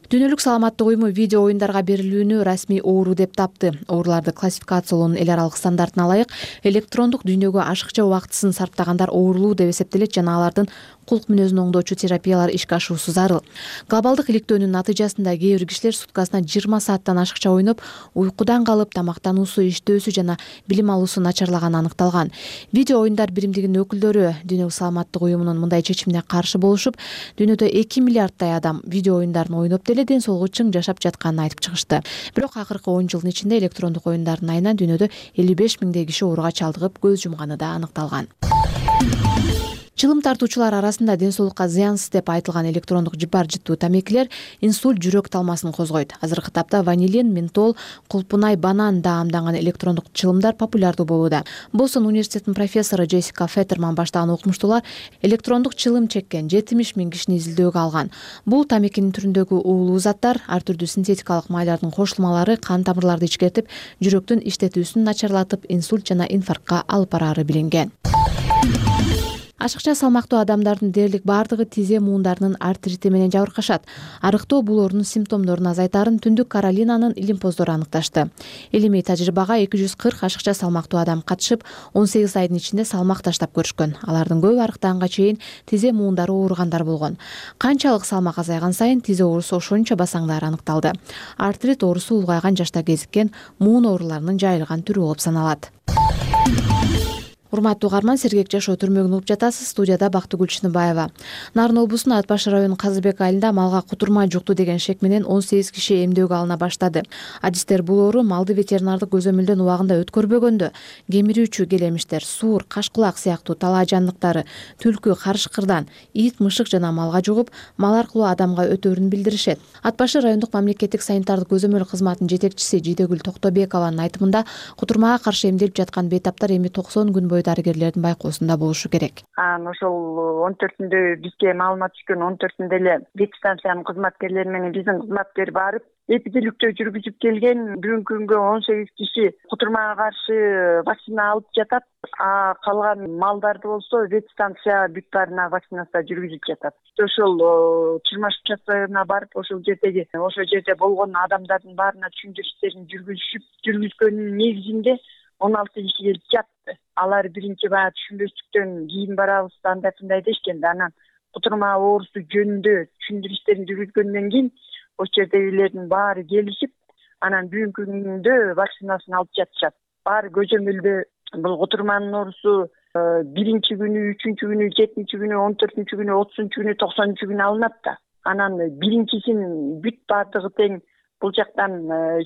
Дүйнөлүк саламаттык уюму видео оюндарга берилүүнү расмий оору деп тапты. Ооруларды классификациялоонун эл аралык стандартына ылайык электрондук дүйнөгө ашыкча убактысын сарптагандар оорулуу деп эсептелет жана алардын кулк мүнөзүн оңдоочу терапиялар ишке ашуусу зарыл. Глобалдык иликтөөнүн натыйжасында кээ бир кишилер суткасына 20 сааттан ашыкча ойноп, уйкудан калып, тамактануусу, иштөөсү жана билим алуусу начарлаганы аныкталган. Видео оюндар биримдигинин өкүлдөрү Дүйнөлүк саламаттык уюмунун мындай чечимине каршы болушуп, дүйнөдө 2 миллиарддай адам видео оюндарын ойноп деле ден соолугу чың жашап жатканын айтып чыгышты. Бирок акыркы 10 жылдын ичинде электрондук оюндардын айынан дүйнөдө 55 миңдей киши ооруга чалдыгып, көз жумганы да аныкталган. Чылым тартуучулар арасында ден соолукка зыянсыз деп айтылган электрондук жыпар жыттуу тамекилер инсульт жүрөк талмасын козгойт. Азыркы тапта ванилин, ментол, кулпунай, банан даамданган электрондук чылымдар популярдуу болууда. Бостон университетинин профессору Джессика Феттерман баштаган окумуштуулар электрондук чылым чеккен 70 миң кишини изилдөөгө алган. Бул тамекинин түрүндөгү уулуу заттар, ар түрдүү синтетикалык майлардын кошулмалары кан тамырларды ичкертип, жүрөктүн иштетүүсүн начарлатып, инсульт жана инфарктка алып барары билинген. Ашыкча салмактуу адамдардын дээрлик бардыгы тизе муундарынын артрити менен жабыркашат. Арыктоо бул оорунун симптомдорун азайтарын Түндүк Каролинанын илимпоздору аныкташты. Илимий тажрыйбага 240 ашыкча салмактуу адам катышып, 18 айдын ичинде салмак таштап көрүшкөн. Алардын көбү арыктаганга чейин тизе муундары ооругандар болгон. Канчалык салмак азайган сайын тизе оорусу ошончо басаңдары аныкталды. Артрит оорусу улгайган жашта кезиккен муун ооруларынын жайылган түрү болуп саналат. Урматтуу угарман, Сергек жашоо түрмөгүн угуп жатасыз. Студияда Бактыгүл Чыныбаева. Нарын облусунун Ат Башы районунун Казыбек айылында малга кутурма жукту деген шек менен 18 киши эмдөөгө алына баштады. Адистер бул оору малды ветеринардык көзөмөлдөн убагында өткөрбөгөндө кемирүүчү келемиштер, суур, кашкулак сыяктуу талаа жандыктары, түлкү, карышкырдан, ит, мышык жана малга жугуп, мал аркылуу адамга өтөөрүн билдиришет. Ат Башы райондук мамлекеттик санитардык көзөмөл кызматынын жетекчиси Жидегүл Токтобекованын айтымында, кутурмага каршы эмделип жаткан бейтаптар эми 90 күн бою дарыгерлердин байкоосунда болушу керек.
Ошол 14-үндө бизге маалымат түшкөн, 14-үндө эле ветстанциянын кызматкерлери менен биздин кызматкер барып эпидиликтөө жүргүзүп келген. Бүгүнкү күнгө 18 киши кутурмага каршы вакцина алып жатат. Калган малдарды болсо ветстанция бүт баарына вакцинация жүргүзүп жатат. Ошол чырмаш участкасына барып, ошол жерде болгон адамдардын баарына түшүндүрүштерин жүргүзгөндүн негизинде 16 киши келип жатты. Алар биринчи баягы түшүнбөстүктөн кийин барабыз, андай дешкен. Анан кутурма оорусу жөнүндө түшүндүрүштерин жүргүзгөндөн кийин ошол жердегилердин баары келишип, анан бүгүнкү күндө вакцинасын алып жатышат. Баары көзөмөлдө бул кутурманын оорусу биринчи күнү, үчүнчү күнү, 7-нчи күнү, 14-үнчү күнү, 30-нчу күнү, 90-нчу күнү алынат да. Анан биринчисин бүт баардыгы тең бул жактан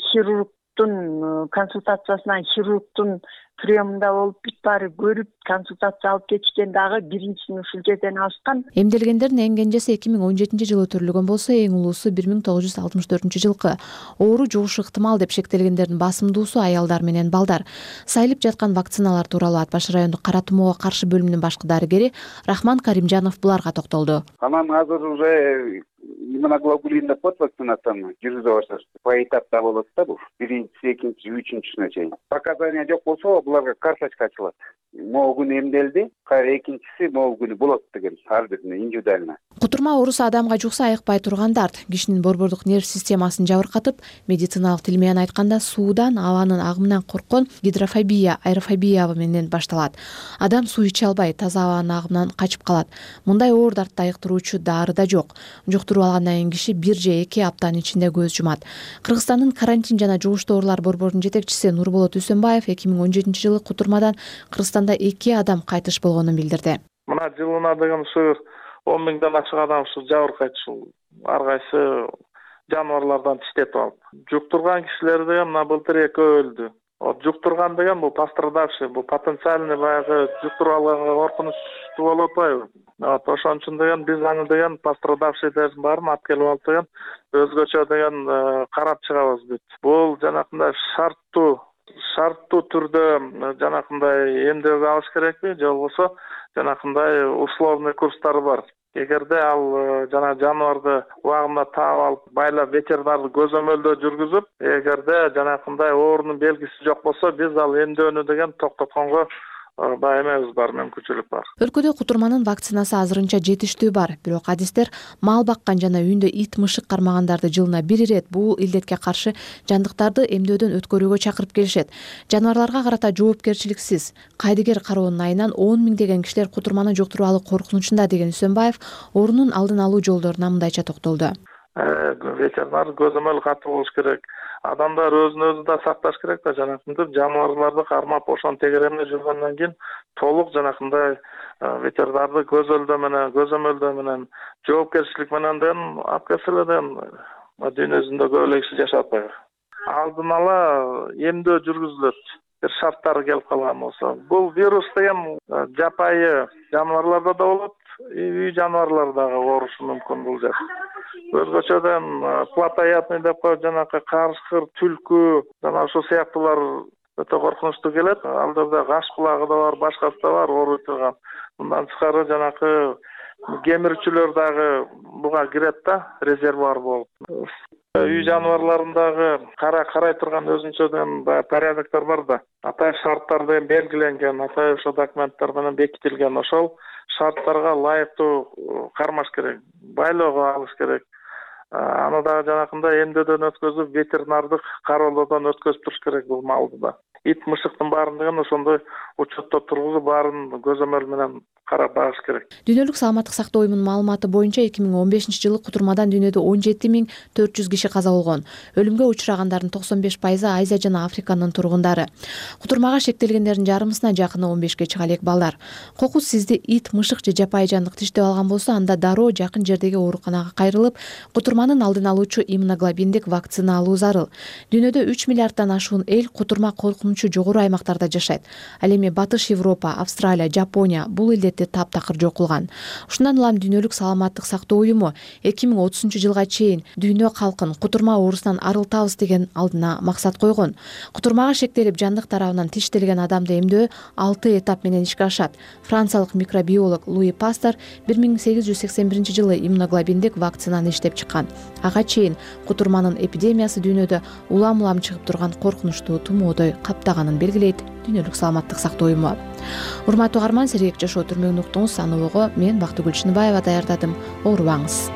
хирургдун консультациясынан, хирургдун приемунда болуп, бүт баары көрүп, консультация алып кетишкен. Дагы биринчисин ушул жерден алышкан.
Эмделгендердин эң кенжеси 2017 жылы өтүрүлгөн болсо, эң улуусу 1964 жылкы. Оору жугушу ыктымал деп шектелгендердин басымдуусу аялдар менен балдар. Сайылып жаткан вакциналар тууралуу Ат Башы райондук кара тумоого каршы бөлүмүнүн башкы дарыгери Рахман Каримжанов буларга токтолду.
Анан азыр уже иммуноглобулиндик код вакцинацияны жүргүзө башташты. Поэтапта болот да бул. Биринчиси, экинчиси, үчүнчүсүнө чейин. Показания жок болсо, буларга карточка ачылат. Могу күнү эмделди, кайра экинчиси могу күнү болот деген, ар бирине индивидуально.
Кутурма оорусу адамга жукса айыкпай турган дарт. Кишинин борбордук нерв системасын жабыркатып, медициналык тил менен айтканда суудан, абанын агымынан корккон гидрофобия, аэрофобия менен башталат. Адам суу иче албай, таза абанын агымынан качып калат. Мындай оор дартты айыктыруучу дары да жок. Жуктуруп алгандан кийин киши 1 же 2 аптанын ичинде көз жумат. Кыргызстандын карантин жана жугуштуу оорулар борборунун жетекчиси Нурболот Үсөнбаев 2017 жылы кутурмадан Кыргызстанда 2 адам кайтыш болгонун билдирди.
Мына жылына деген ушу 10 миңден ашык адам ушу жабыркайт, ушул ар кайсы жаныбарлардан тиштетип алып. Жуктурган кишилер деген мына былтыр 2 өлдү. Жуктурган деген бул пострадавший, бул потенциальный баягы жуктуруп алганга коркунучтуу болуп атпайбы? Ошон үчүн деген биз аны деген пострадавшийдердин баарын алып келип алып деген өзгөчө деген карап чыгабыз бүт. Бул жанакындай шарттуу түрдө жанакындай эмдөөгө алыш керекпи, же болбосо жанакындай условный курстары бар. Эгерде ал жаныбарды убагында таап алып, байлап ветеринардык көзөмөлдөө жүргүзүп, эгерде жанакындай оорунун белгиси жок болсо, биз ал эмдөөнү деген токтотконго эмебиз бар, мүмкүнчүлүк бар.
Өлкөдө кутурманын вакцинасы азырынча жетиштүү бар, бирок адистер мал баккан жана үйүндө ит, мышык кармагандарды жылына 1 ирет бул илдетке каршы жандыктарды эмдөөдөн өткөрүүгө чакырып келишет. Жаныбарларга карата жоопкерчиликсиз, кайдыгер кароонун айынан 10 миңдеген кишилер кутурманы жуктуруп алуу коркунучунда деген Үсөнбаев оорунун алдын алуу жолдоруна мындайча токтолду.
Ветеринар көзөмөл катуу болуш керек. Адамдар өзүн өзү да сакташ керек да, жанакындай жаныбарларды кармап ошон тегеремде жүргөндөн кийин толук жанакындай ветеринардык көзөмөлдөө менен жоопкерчилик менен алып келсе эле дүйнө жүзүндө көп эле киши жашап атпайбы. Алдын ала эмдөө жүргүзүлөт. Бир шарттары келип калган болсо. Бул вирус деген жапайы жаныбарларда да болот, үй жаныбарлары дагы оорушу мүмкүн бул жер. Өзгөчөдөн плотоядный деп коюп жанакы карышкыр, түлкү, жана ошол сыяктуулар өтө коркунучтуу келет. Ал жерде каш кулагы да бар, башкасы да бар ооруй турган. Мындан тышкары жанакы кемирүүчүлөр дагы буга кирет да, резервуар болуп. Үй жаныбарларындагы карай турган өзүнчөдөн порядоктор бар да. Атайын шарттар деген белгиленген, атайын ошо документтер менен бекитилген. Ошол шарттарга ылайыктуу кармаш керек, байлоого алыш керек. Аны дагы жанакындай эмдөөдөн өткөзүп, ветеринардык кароолоодон өткөзүп туруш керек бул малды да. Ит, мышыктын баарын деген ошондой учетто тургузуп, баарын көзөмөл менен карап багыш керек.
Дүйнөлүк саламаттык сактоо уюмунун маалыматы боюнча 2015-жылы кутурмадан дүйнөдө 17.400 киши каза болгон. Өлүмгө учурагандардын 95% Азия жана Африканын тургундары. Кутурмага шектелгендердин жарымысына жакыны 15-ке чыга элек балдар. Кокус сизди ит, мышык же жапайы жандык тиштеп алган болсо, анда дароо жакын жердеги ооруканага кайрылып, кутурманын алдын алуучу иммуноглобиндик вакцина алуу зарыл. Дүйнөдө 3 миллиарддан ашуун эл кутурма коркунучу жогору аймактарда жашайт. Ал эми Батыш Европа, Австралия, Жапония бул элдерди таптакыр жок кылган. Ушундан улам Дүйнөлүк саламаттык сактоо уюму 2030-жылга чейин дүйнө калкын кутурма оорусунан арылтабыз деген алдына максат койгон. Кутурмага шектелип жандык тарабынан тиштелген адамды эмдөө 6 этап менен ишке ашат. Франциялык микробиолог Луи Пастер 1881-жылы иммуноглобиндик вакцинаны иштеп чыккан. Ага чейин кутурманын эпидемиясы дүйнөдө улам-улам чыгып турган коркунучтуу тумоодой каптаганын белгилейт Дүйнөлүк саламаттык сактоо уюму. Урматтуу угарман, сергек жашоо түрмөгүн уктуңуз. Аныбого мен Бактыгүл Чыныбаева даярдадым. Оорубаңыз.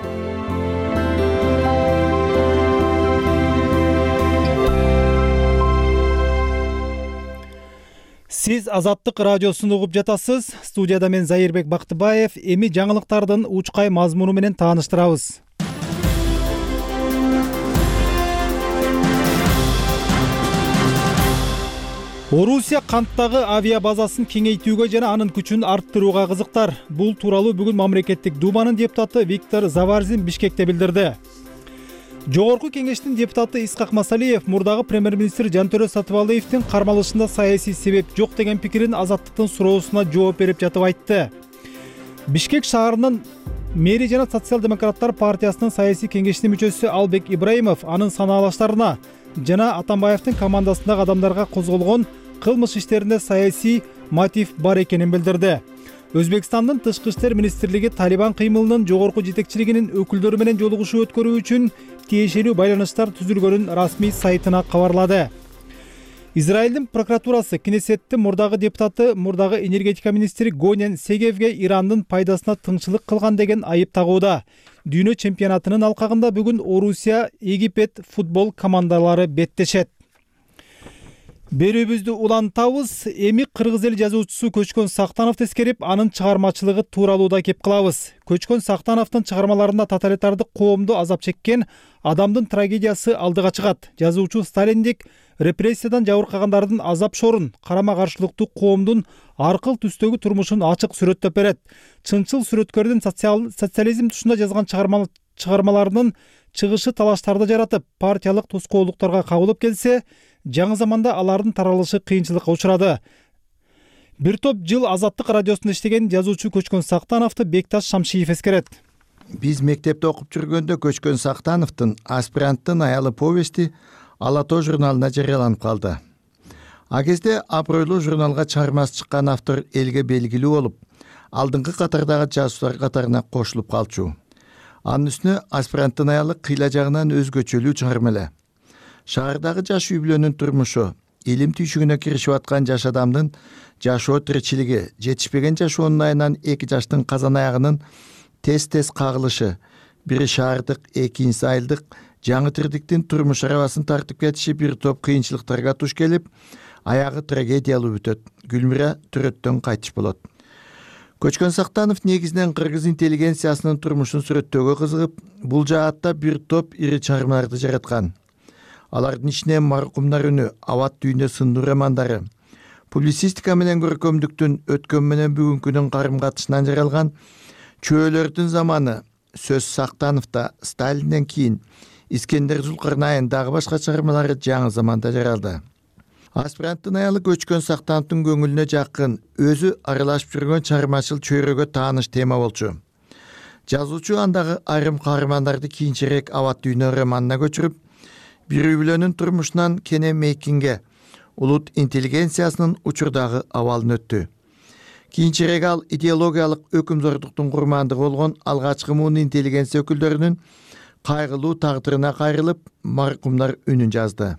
Сиз Азаттык радиосун угуп жатасыз. Студияда мен Зайырбек Бактыбаев. Эми жаңылыктардын учкай мазмуну менен тааныштырабыз. Орусия канттагы авиа базасын кеңейтүүгө жана анын күчүн арттырууга кызыктар. Бул тууралуу бүгүн мамлекеттик думанын депутаты Виктор Заварзин Бишкекте билдирди. Жогорку кеңештин депутаты Исхак Масалиев мурдагы премьер-министр Жантөрө Сатыбалдиевдин кармалышында саясий себеп жок деген пикирин Азаттыктын суроосуна жооп берип жатып айтты. Бишкек шаарынын мэри жана социал-демократтар партиясынын саясий кеңешинин мүчөсү Албек Ибраимов анын санаалаштарына жана Атамбаевдин командасындагы адамдарга козголгон кылмыш иштеринде саясий мотив бар экенин билдирди. Өзбекстандын тышкы иштер министрлиги Талибан кыймылынын жогорку жетекчилигинин өкүлдөрү менен жолугушуу өткөрүү үчүн тиешелүү байланыштар түзүлгөнүн расмий сайтына кабарлады. Израилдин прокуратурасы Кнессеттин мурдагы депутаты, мурдагы энергетика министри Гонен Сегевге Ирандын пайдасына тыңчылык кылган деген айып тагууда. Дүйнө чемпионатынын алкагында бүгүн Орусия, Египет футбол командалары беттешет. Берүүбүздү улантабыз. Эми кыргыз эл жазуучусу Көчкөн Сактановду эскерип, анын чыгармачылыгы тууралуу да кеп кылабыз. Көчкөн Сактановдун чыгармаларында тоталитардык коомду азап чеккен адамдын трагедиясы алдыга чыгат. Жазуучу Сталиндик репрессиядан жабыркагандардын азап шорун, карама каршылыктуу коомдун аркыл түстөгү турмушун ачык сүрөттөп берет. Чынчыл сүрөткөрдүн социализм тушунда жазган чыгармаларынын чыгышы талаштарды жаратып, партиялык тоскоолдуктарга кабылып келсе, жаңы заманда алардын таралышы кыйынчылыкка учурады. Бир топ жыл Азаттык радиосунда иштеген жазуучу Көчкөн Сактановду Бекташ Шамшиев эскерет.
Биз мектепте окуп жүргөндө Көчкөн Сактановдун Аспиранттын аялы повести Ала тоо журналына жарыяланып калды. А кезде абройлуу журналга чыгармасы чыккан автор элге белгилүү болуп, алдыңкы катардагы жазуучулар катарына кошулуп калчу. Анын үстүнө Аспиранттын аялы кыйла жагынан өзгөчөлүү чыгарма эле. Шаардагы жаш үй бүлөнүн турмушу, илим түйшүгүнө киришип аткан жаш адамдын жашоо тиричилиги, жетишпеген жашоонун айынан 2 жаштын казан аягынын тез-тез кагылышы, бири шаардык, экинчиси айылдык жаңы тирдиктин турмуш арабасын тартып кетиши бир топ кыйынчылыктарга туш келип, аягы трагедиялуу бүтөт. Гүлмира төрөттөн кайтыш болот. Көчкөн Сактанов негизинен кыргыз интеллигенциясынын турмушун сүрөттөөгө кызыгып, бул жаатта бир топ ири чыгармаларды жараткан. Алардын ичинен Маркумдар үнү, Абат дүйнө сындуу романдары, публицистика менен көркөмдүктүн өткөн менен бүгүнкүнүн карым-катышынан жаралган Чөөлөрдүн заманы, Сөз Сактановдо, Сталинден кийин Искендер Зулкарнайын дагы башка чыгармалары жаңы заманда жаралды. Аспиранттын аялы Көчкөн Сактановдун көңүлүнө жакын, өзү аралашып жүргөн чыгармачыл чөйрөгө тааныш тема болчу. Жазуучу андагы айрым каармандарды кийинчерээк Абат дүйнө романына көчүрүп, бир үй бүлөнүн турмушунан Кене Мейкинге, улут интеллигенциясынын учурдагы абалын өттү. Кийинчерээк ал идеологиялык өкүмзордуктун курмандыгы болгон алгачкы муун интеллигенция өкүлдөрүнүн кайгылуу тагдырына кайрылып, Маркумдар үнүн жазды.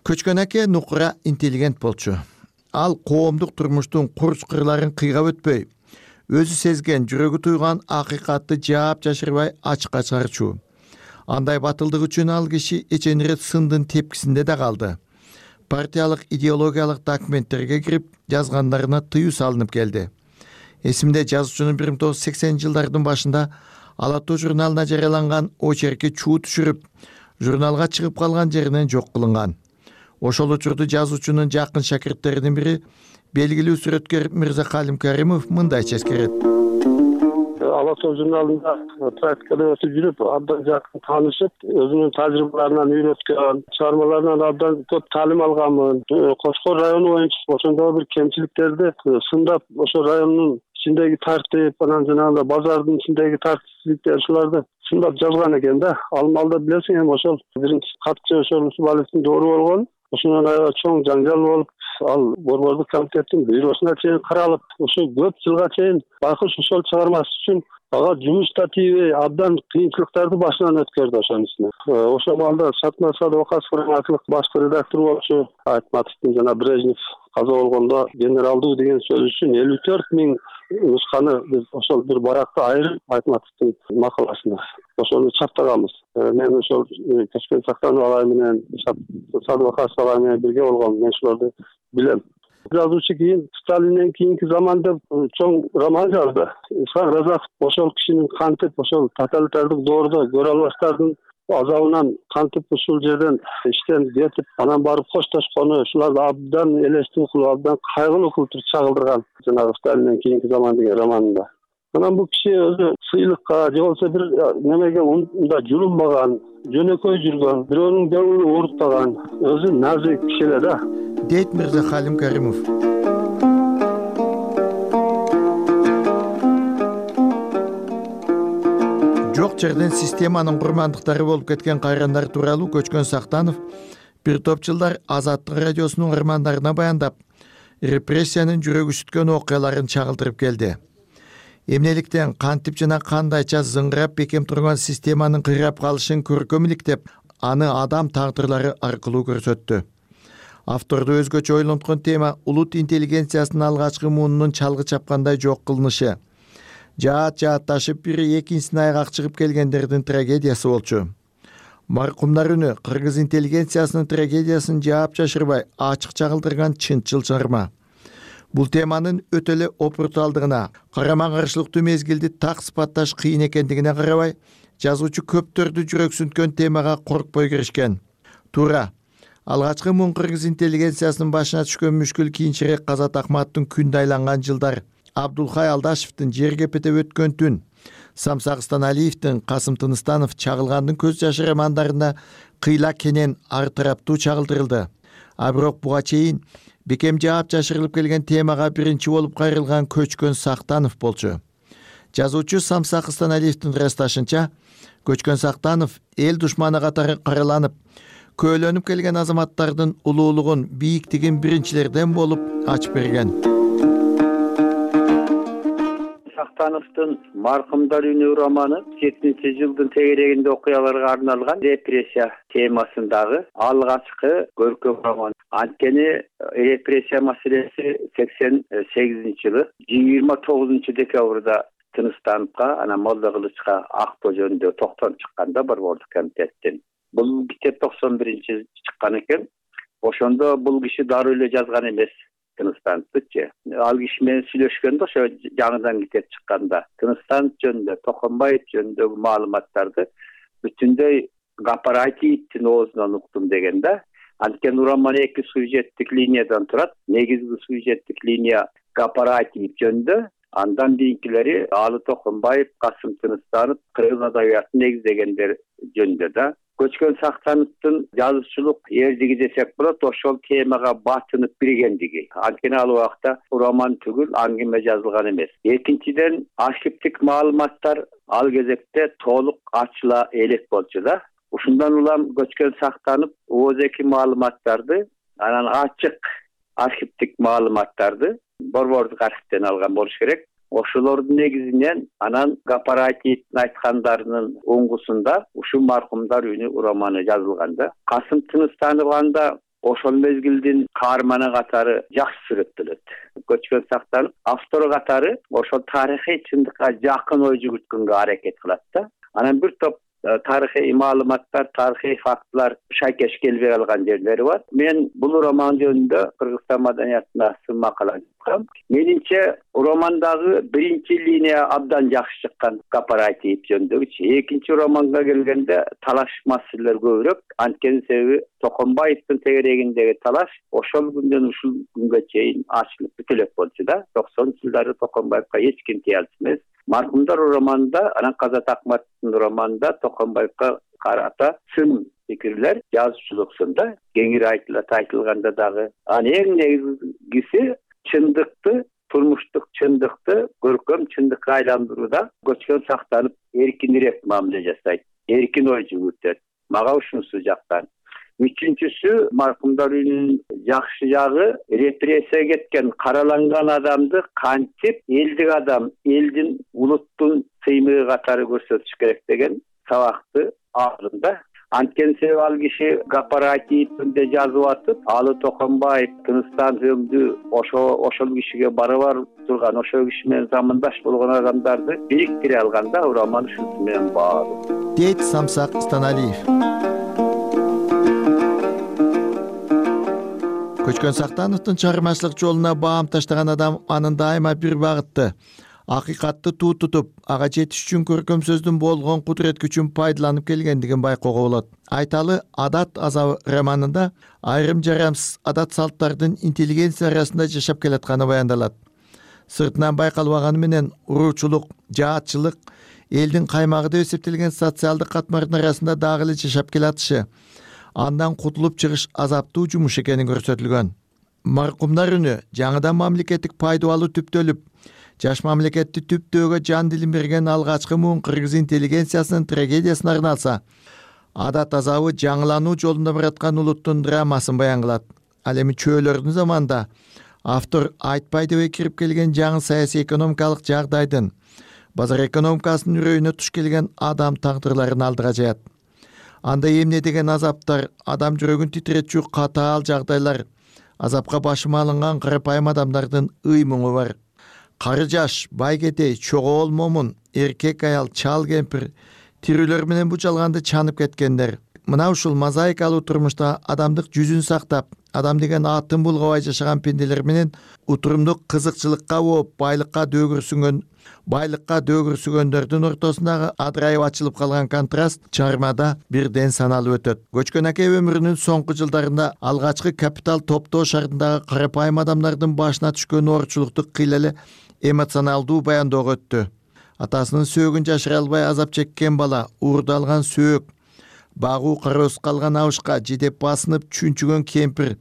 Көчкөн аке нукура интеллигент болчу. Ал коомдук турмуштун курч кырларын кыйгап өтпөй, өзү сезген, жүрөгү туйган акыйкатты жаап жашырбай ачыкка чыгарчу. Андай батылдык үчүн ал киши эченирет сындын тепкисинде да калды. Партиялык идеологиялык документтерге кирип, жазгандарына тыюу салынып келди. Эсимде жазуучунун 1980-жылдардын башында Ала Тоо журналына жарыяланган очерки чуу түшүрүп, журналга чыгып калган жеринен жок кылынган. Ошол учурда жазуучунун жакын шакирттеринин бири белгилүү сүрөткөр Мырзакалим Каримов мындайча эскерет.
Ала Тоо журналында практикада өтүп жүрүп, абдан жакын таанышып, өзүнүн тажрыйбаларынан үйрөткөн, чыгармаларынан абдан көп таалим алганмын. Кошкор району боюнча ошондой бир кемчиликтерди сындап, ошо райондун ичиндеги тартип, анан жанагындай базардын ичиндеги тартипсиздиктер ушуларды сындап жазган экен да. Ал маалда билесиң эми ошол биринчи катчы ошол Усубаловдун доору болгон. Ошондон аябай чоң жаңжал болуп, ал борбордук комитеттин бюросуна чейин каралып, ушу көп жылга чейин байкуш ошол чыгармасы үчүн ага жумуш да тийбей, абдан кыйынчылыктарды башынан өткөрдү ошонун үстүнө. Ошол маалда Шатмат Садыков форматлык башкы редактор болчу, Айтматовдун жана Брежнев каза болгондо генералдуу деген сөз үчүн 54 000 нусканы биз ошол бир баракта айырып Айтматовдун макаласына ошону чаптаганбыз. Мен ошол Көчкөн Сактанов агай менен Садыков агай менен бирге болгом. Мен ушуларды билем. Жазуучу кийин Сталинден кийинки заман деп чоң роман жазды. Исхак Разаков ошол кишинин кантип ошол тоталитардык доордо көрө албаштардын азабынан кантип ушул жерден иштен кетип, анан барып коштошкону, ушуларды абдан элестүү кылып, абдан кайгылуу кылып чагылдырган жанагы Сталинден кийинки заман деген романында. Анан бул киши өзү сыйлыкка же болбосо бир немеге мындай жулунбаган, жөнөкөй жүргөн, бирөөнүн көңүлүн оорутпаган, өзү назик киши эле да.
Дейт Мырзакалим Каримов. Жок жерден системанын курмандыктары болуп кеткен кайрандар тууралуу Көчкөн Сактанов бир топ жылдар Азаттык радиосунун угармандарына баяндап, репрессиянын жүрөк үчүткөн окуяларын чагылдырып келди. Эмнеликтен кантип жана кандайча зыңгырап бекем турган системанын кыйрап калышын көркөм иликтеп, аны адам тагдырлары аркылуу көрсөттү. Авторду өзгөчө ойлонткон тема улут интеллигенциясынын алгачкы муунунун чалгы чапкандай жок кылынышы. Жаат-жаатташып бири экинчисине айгак чыгып келгендердин трагедиясы болчу. Маркумдар үнү кыргыз интеллигенциясынын трагедиясын жаап жашырбай ачык чагылдырган чынчыл чыгарма. Бул теманын өтө эле опуртуалдыгына, карама-каршылыктуу мезгилди так сыпатташ кыйын экендигине карабай, жазуучу көптөрдү жүрөксүнткөн темага коркпой киришкен. Туура, алгачкы муун кыргыз интеллигенциясынын башына түшкөн мүшкүл кийинчерээк Казат Акматтын күндө айланган жылдар, Абдулхай Алдашевдин жер кепете өткөн түн, Самсак Станалиевдин Касым Тыныстанов чагылгандын көз жашы романдарында кыйла кенен ар тараптуу чагылдырылды. А бирок буга чейин бекем жаап жашырылып келген темага биринчи болуп кайрылган Көчкөн Сактанов болчу. Жазуучу Самсак Станалиевдин расташынча, Көчкөн Сактанов эл душманы катары караланып, көөлөнүп келген азаматтардын улуулугун, бийиктигин биринчилерден болуп ачып берген.
Сактановдун Маркумдар үнү романы 70-жылдын тегерегинде окуяларга арналган репрессия темасындагы алгачкы көркөм роман. Анткени репрессия маселеси 88-жылы 29-декабрда Тыныстановго, анан Молда Кылычка Акбо жөнүндө токтом чыкканда борбордук комитеттен. Бул китеп 91-жылы чыккан экен. Ошондо бул киши дароо эле жазган эмес. Тыныстановчу. Ал киши менен сүйлөшкөндө ошо жаңыдан китеп чыкканда Тыныстанов жөнүндө, Токонбаев жөнүндөгү маалыматтарды бүтүндөй Гапараевдин оозунан уктум деген да. Анткени роман 2 сюжеттик линиядан турат. Негизги сюжеттик линия Гапараев жөнүндө, андан кийинкилери Алы Токонбаев, Касым Тыныстанов кыргыз адабиятын негиздегендер жөнүндө да. Көчкөн Сактановдун жазуучулук эрдиги десек болот, ошол темага батынып биргендиги. Анткени ал убакта роман түгүл, аңгеме жазылган эмес. Экинчиден, архивдик маалыматтар ал кезекте толук ачыла элек болчу да. Ушундан улам Көчкөн Сактанов ооздеги маалыматтарды, анан ачык архивдик маалыматтарды борбордук архивден алган болуш керек. Ошолордун негизинен анан Гапараевдин айткандарынын оңгусунда ушул Маркумдар үнү романы жазылганда, Касым Тыныстанов анда ошол мезгилдин каарманы катары жакшы сүрөттөлөт. Көчкөн Сактанов автор катары ошол тарыхый чындыкка жакын ой жүгүрткөнгө аракет кылат да. Анан бир топ тарыхый маалыматтар, тарыхый фактылар шайкеш келбей калган жерлери бар. Мен бул роман жөнүндө Кыргызстан маданиятына сын макала жазгам. Менимче романдагы биринчи линия абдан жакшы чыккан, кооператив жөнүндөгүчү. Экинчи романга келгенде талаш маселелер көбүрөөк. Анткени себеби Токомбаевдин тегерегиндеги талаш ошол күндөн ушул күнгө чейин ачылып бүтө элек болчу да. 90-жылдары Токомбаевга эч ким тие алчу эмес. Маркумдар романында, анан Казат Акматовдун романында Токомбаевга карата сын пикирлер жазуучулуксунда кеңири айтылганда дагы. Анын эң негизгиси чындыкты, турмуштук чындыкты көркөм чындыкка айландырууда көчкөн сактанып эркинирээк мамиле жасайт, эркин ой жүгүртөт. Мага ушунусу жактан. Үчүнчүсү, маркумдар үйүнүн жакшы жагы репрессияга кеткен, караланган адамды кантип элдик адам, элдин, улуттун сыймыгы катары көрсөтүш керек деген сабакты алдында. Анткени себеби ал киши кооперативинде жазып атып, Алы Токомбаев Тыныстан өңдү ошол кишиге барабар турган, ошол киши менен замандаш болгон адамдарды бириктире алганда, роман ушунусу менен баалуу.
Дейт Самсак Станалиев. Көчкөн Сактановдун чыгармачылык жолуна баам таштаган адам анын дайыма бир багытты, акыйкатты туу тутуп, ага жетиш үчүн көркөм сөздүн болгон кудурет күчүн пайдаланып келгендигин байкоого болот. Айталы Адат азабы романында айрым жарамсыз адат салттардын интеллигенция арасында жашап келатканы баяндалат. Сыртынан байкалбаганы менен уруучулук, жаатчылык элдин каймагы деп эсептелген социалдык катмардын арасында дагы эле жашап келатышы, андан кутулуп чыгыш азаптуу жумуш экени көрсөтүлгөн. Маркумдар үнү жаңыдан мамлекеттик пайда алуу түптөлүп, жаш мамлекетти түптөөгө жан дилин берген алгачкы муун кыргыз интеллигенциясынын трагедиясына арналса, Адат азабы жаңылануу жолунда бараткан улуттун драмасын баян кылат. Ал эми чөөлөрдүн заманында автор айтпай деп кирип келген жаңы саясий экономикалык жагдайдын, базар экономикасынын үрөйүнө туш келген адам тагдырларын алдыга жаят. Анда эмне деген азаптар, адам жүрөгүн титиретчү катаал жагдайлар, азапка башы малынган карапайым адамдардын ый-муңу бар. Кары жаш, байгетей, чогоол момун, эркек аял, чал кемпир, тирүүлөр менен бу жалганды чанып кеткендер. Мына ушул мозаикалуу турмушта адамдык жүзүн сактап, адам деген атын булгабай жашаган пенделер менен утурумдук кызыкчылыкка болуп, байлыкка дөөгүрсүгөндөрдүн ортосундагы адырайып ачылып калган контраст чыгармада бирден саналып өтөт. Көчкөн аке өмүрүнүн соңку жылдарында алгачкы капитал топтоо шартындагы карапайым адамдардын башына түшкөн оорчулукту кыйла эле эмоционалдуу баяндоого өттү. Атасынын сөөгүн жашыра албай азап чеккен бала, уурду алган сөөк, багуу кароосуз калган абышка жидеп басынып чүнчүгөн кемпир,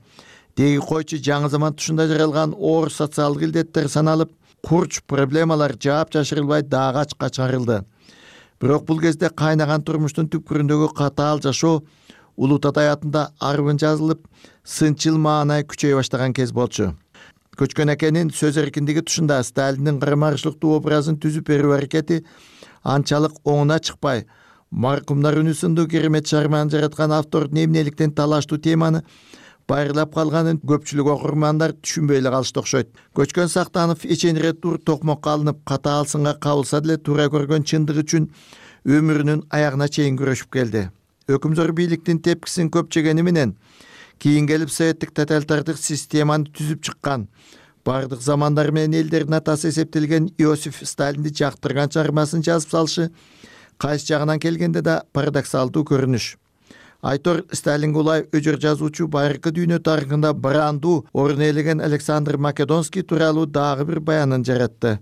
деги койчу жаңы заман тушунда жаралган оор социалдык илдеттер саналып, курч проблемалар жаап жашырылбай дагы ачка чыгарылды. Бирок бул кезде кайнаган турмуштун түпкүрүндөгү катаал жашоо улут адаятында арбын жазылып, сынчыл маанай күчөй баштаган кез болчу. Көчкөн акенин сөз эркиндиги тушунда Сталиндин кармарышлыктуу образын түзүп берүү аракети анчалык оңуна чыкпай, маркумдар үнү сындуу керемет чыгарманы жараткан автордун эмнеликтен талаштуу теманы байырлап калганын көпчүлүк окурмандар түшүнбөй эле калышты окшойт. Көчкөн Сактанов эченире тур токмокко алынып, катаал сынга кабылса деле туура көргөн чындык үчүн өмүрүнүн аягына чейин күрөшүп келди. Өкүмзөр бийликтин тепкисин көп жегени менен кийин келип советтик тоталитардык системаны түзүп чыккан, бардык замандар менен элдердин атасы эсептелген Иосиф Сталинди жактырган чыгармасын жазып салышы кайсы жагынан келгенде да парадоксалдуу көрүнүш. Айтор Сталинге улай өжөр жазуучу байыркы дүйнө тарыхында барандуу орун ээлеген Александр Македонский тууралуу дагы бир баянын жаратты.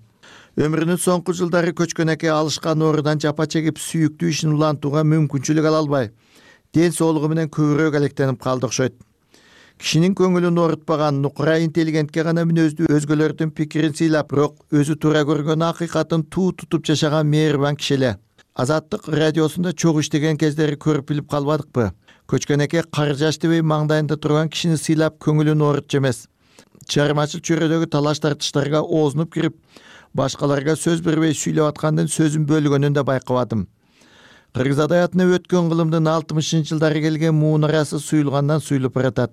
Өмүрүнүн соңку жылдары көчкөн аке алышкан оорудан жапа чегип сүйүктүү ишин улантууга мүмкүнчүлүк ала албай, ден соолугу менен көбүрөөк алектенип калды окшойт. Кишинин көңүлүн оорутпаган нукура интеллигентке гана мүнөздүү, өзгөлөрдүн пикирин сыйлап, бирок өзү туура көргөн акыйкатын туу тутуп жашаган мээрбан киши эле. Азаттык радиосунда чогуу иштеген кездери көрүп билип калбадыкпы? Көчкөн аке кары жаш дебей маңдайында турган кишини сыйлап көңүлүн оорутчу эмес. Чыгармачыл чөйрөдөгү талаш тартыштарга оозунуп кирип, башкаларга сөз бербей сүйлөп аткандан сөзүн бөлгөнүн да байкабадым. Кыргыз адаятына өткөн кылымдын 60-жылдары келген муунарасы суюлгандан суюлуп баратат.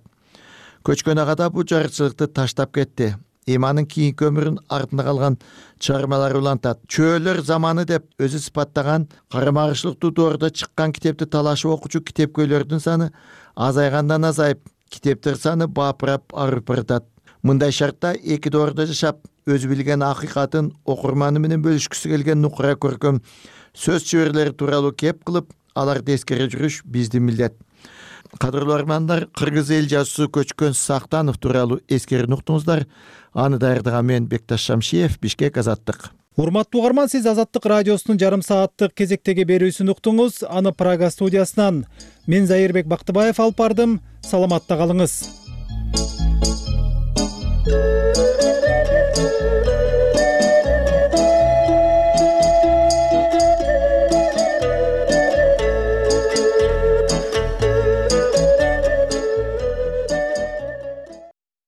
Көчкөн ага да бу жарчылыкты таштап кетти. Эми анын кийинки өмүрүн артында калган чыгармалары улантат. Чөөлөр заманы деп өзү сыпаттаган карамарышлыктуу доордо чыккан китепти талашып окуучу китепкөйлөрдүн саны азайгандан азайып, китептер саны бапырап арып баратат. Мындай шартта эки доордо жашап, өзү билген акыйкатын окурманы менен бөлүшкүсү келген нукура көркөм сөз чеберлери тууралуу кеп кылып, аларды эскере жүрүш биздин милдет. Кадырлуу армандар, кыргыз эл жазуусу Көчкөн Сактанов тууралуу эскерүүнү уктуңуздар. Аны даярдаган мен Бекташ Шамшиев, Бишкек, Азаттык.
Урматтуу угарман, сиз Азаттык радиосунун жарым сааттык кезектеги берүүсүн уктуңуз. Аны Прага студиясынан мен Зайырбек Бактыбаев алып бардым. Саламатта калыңыз.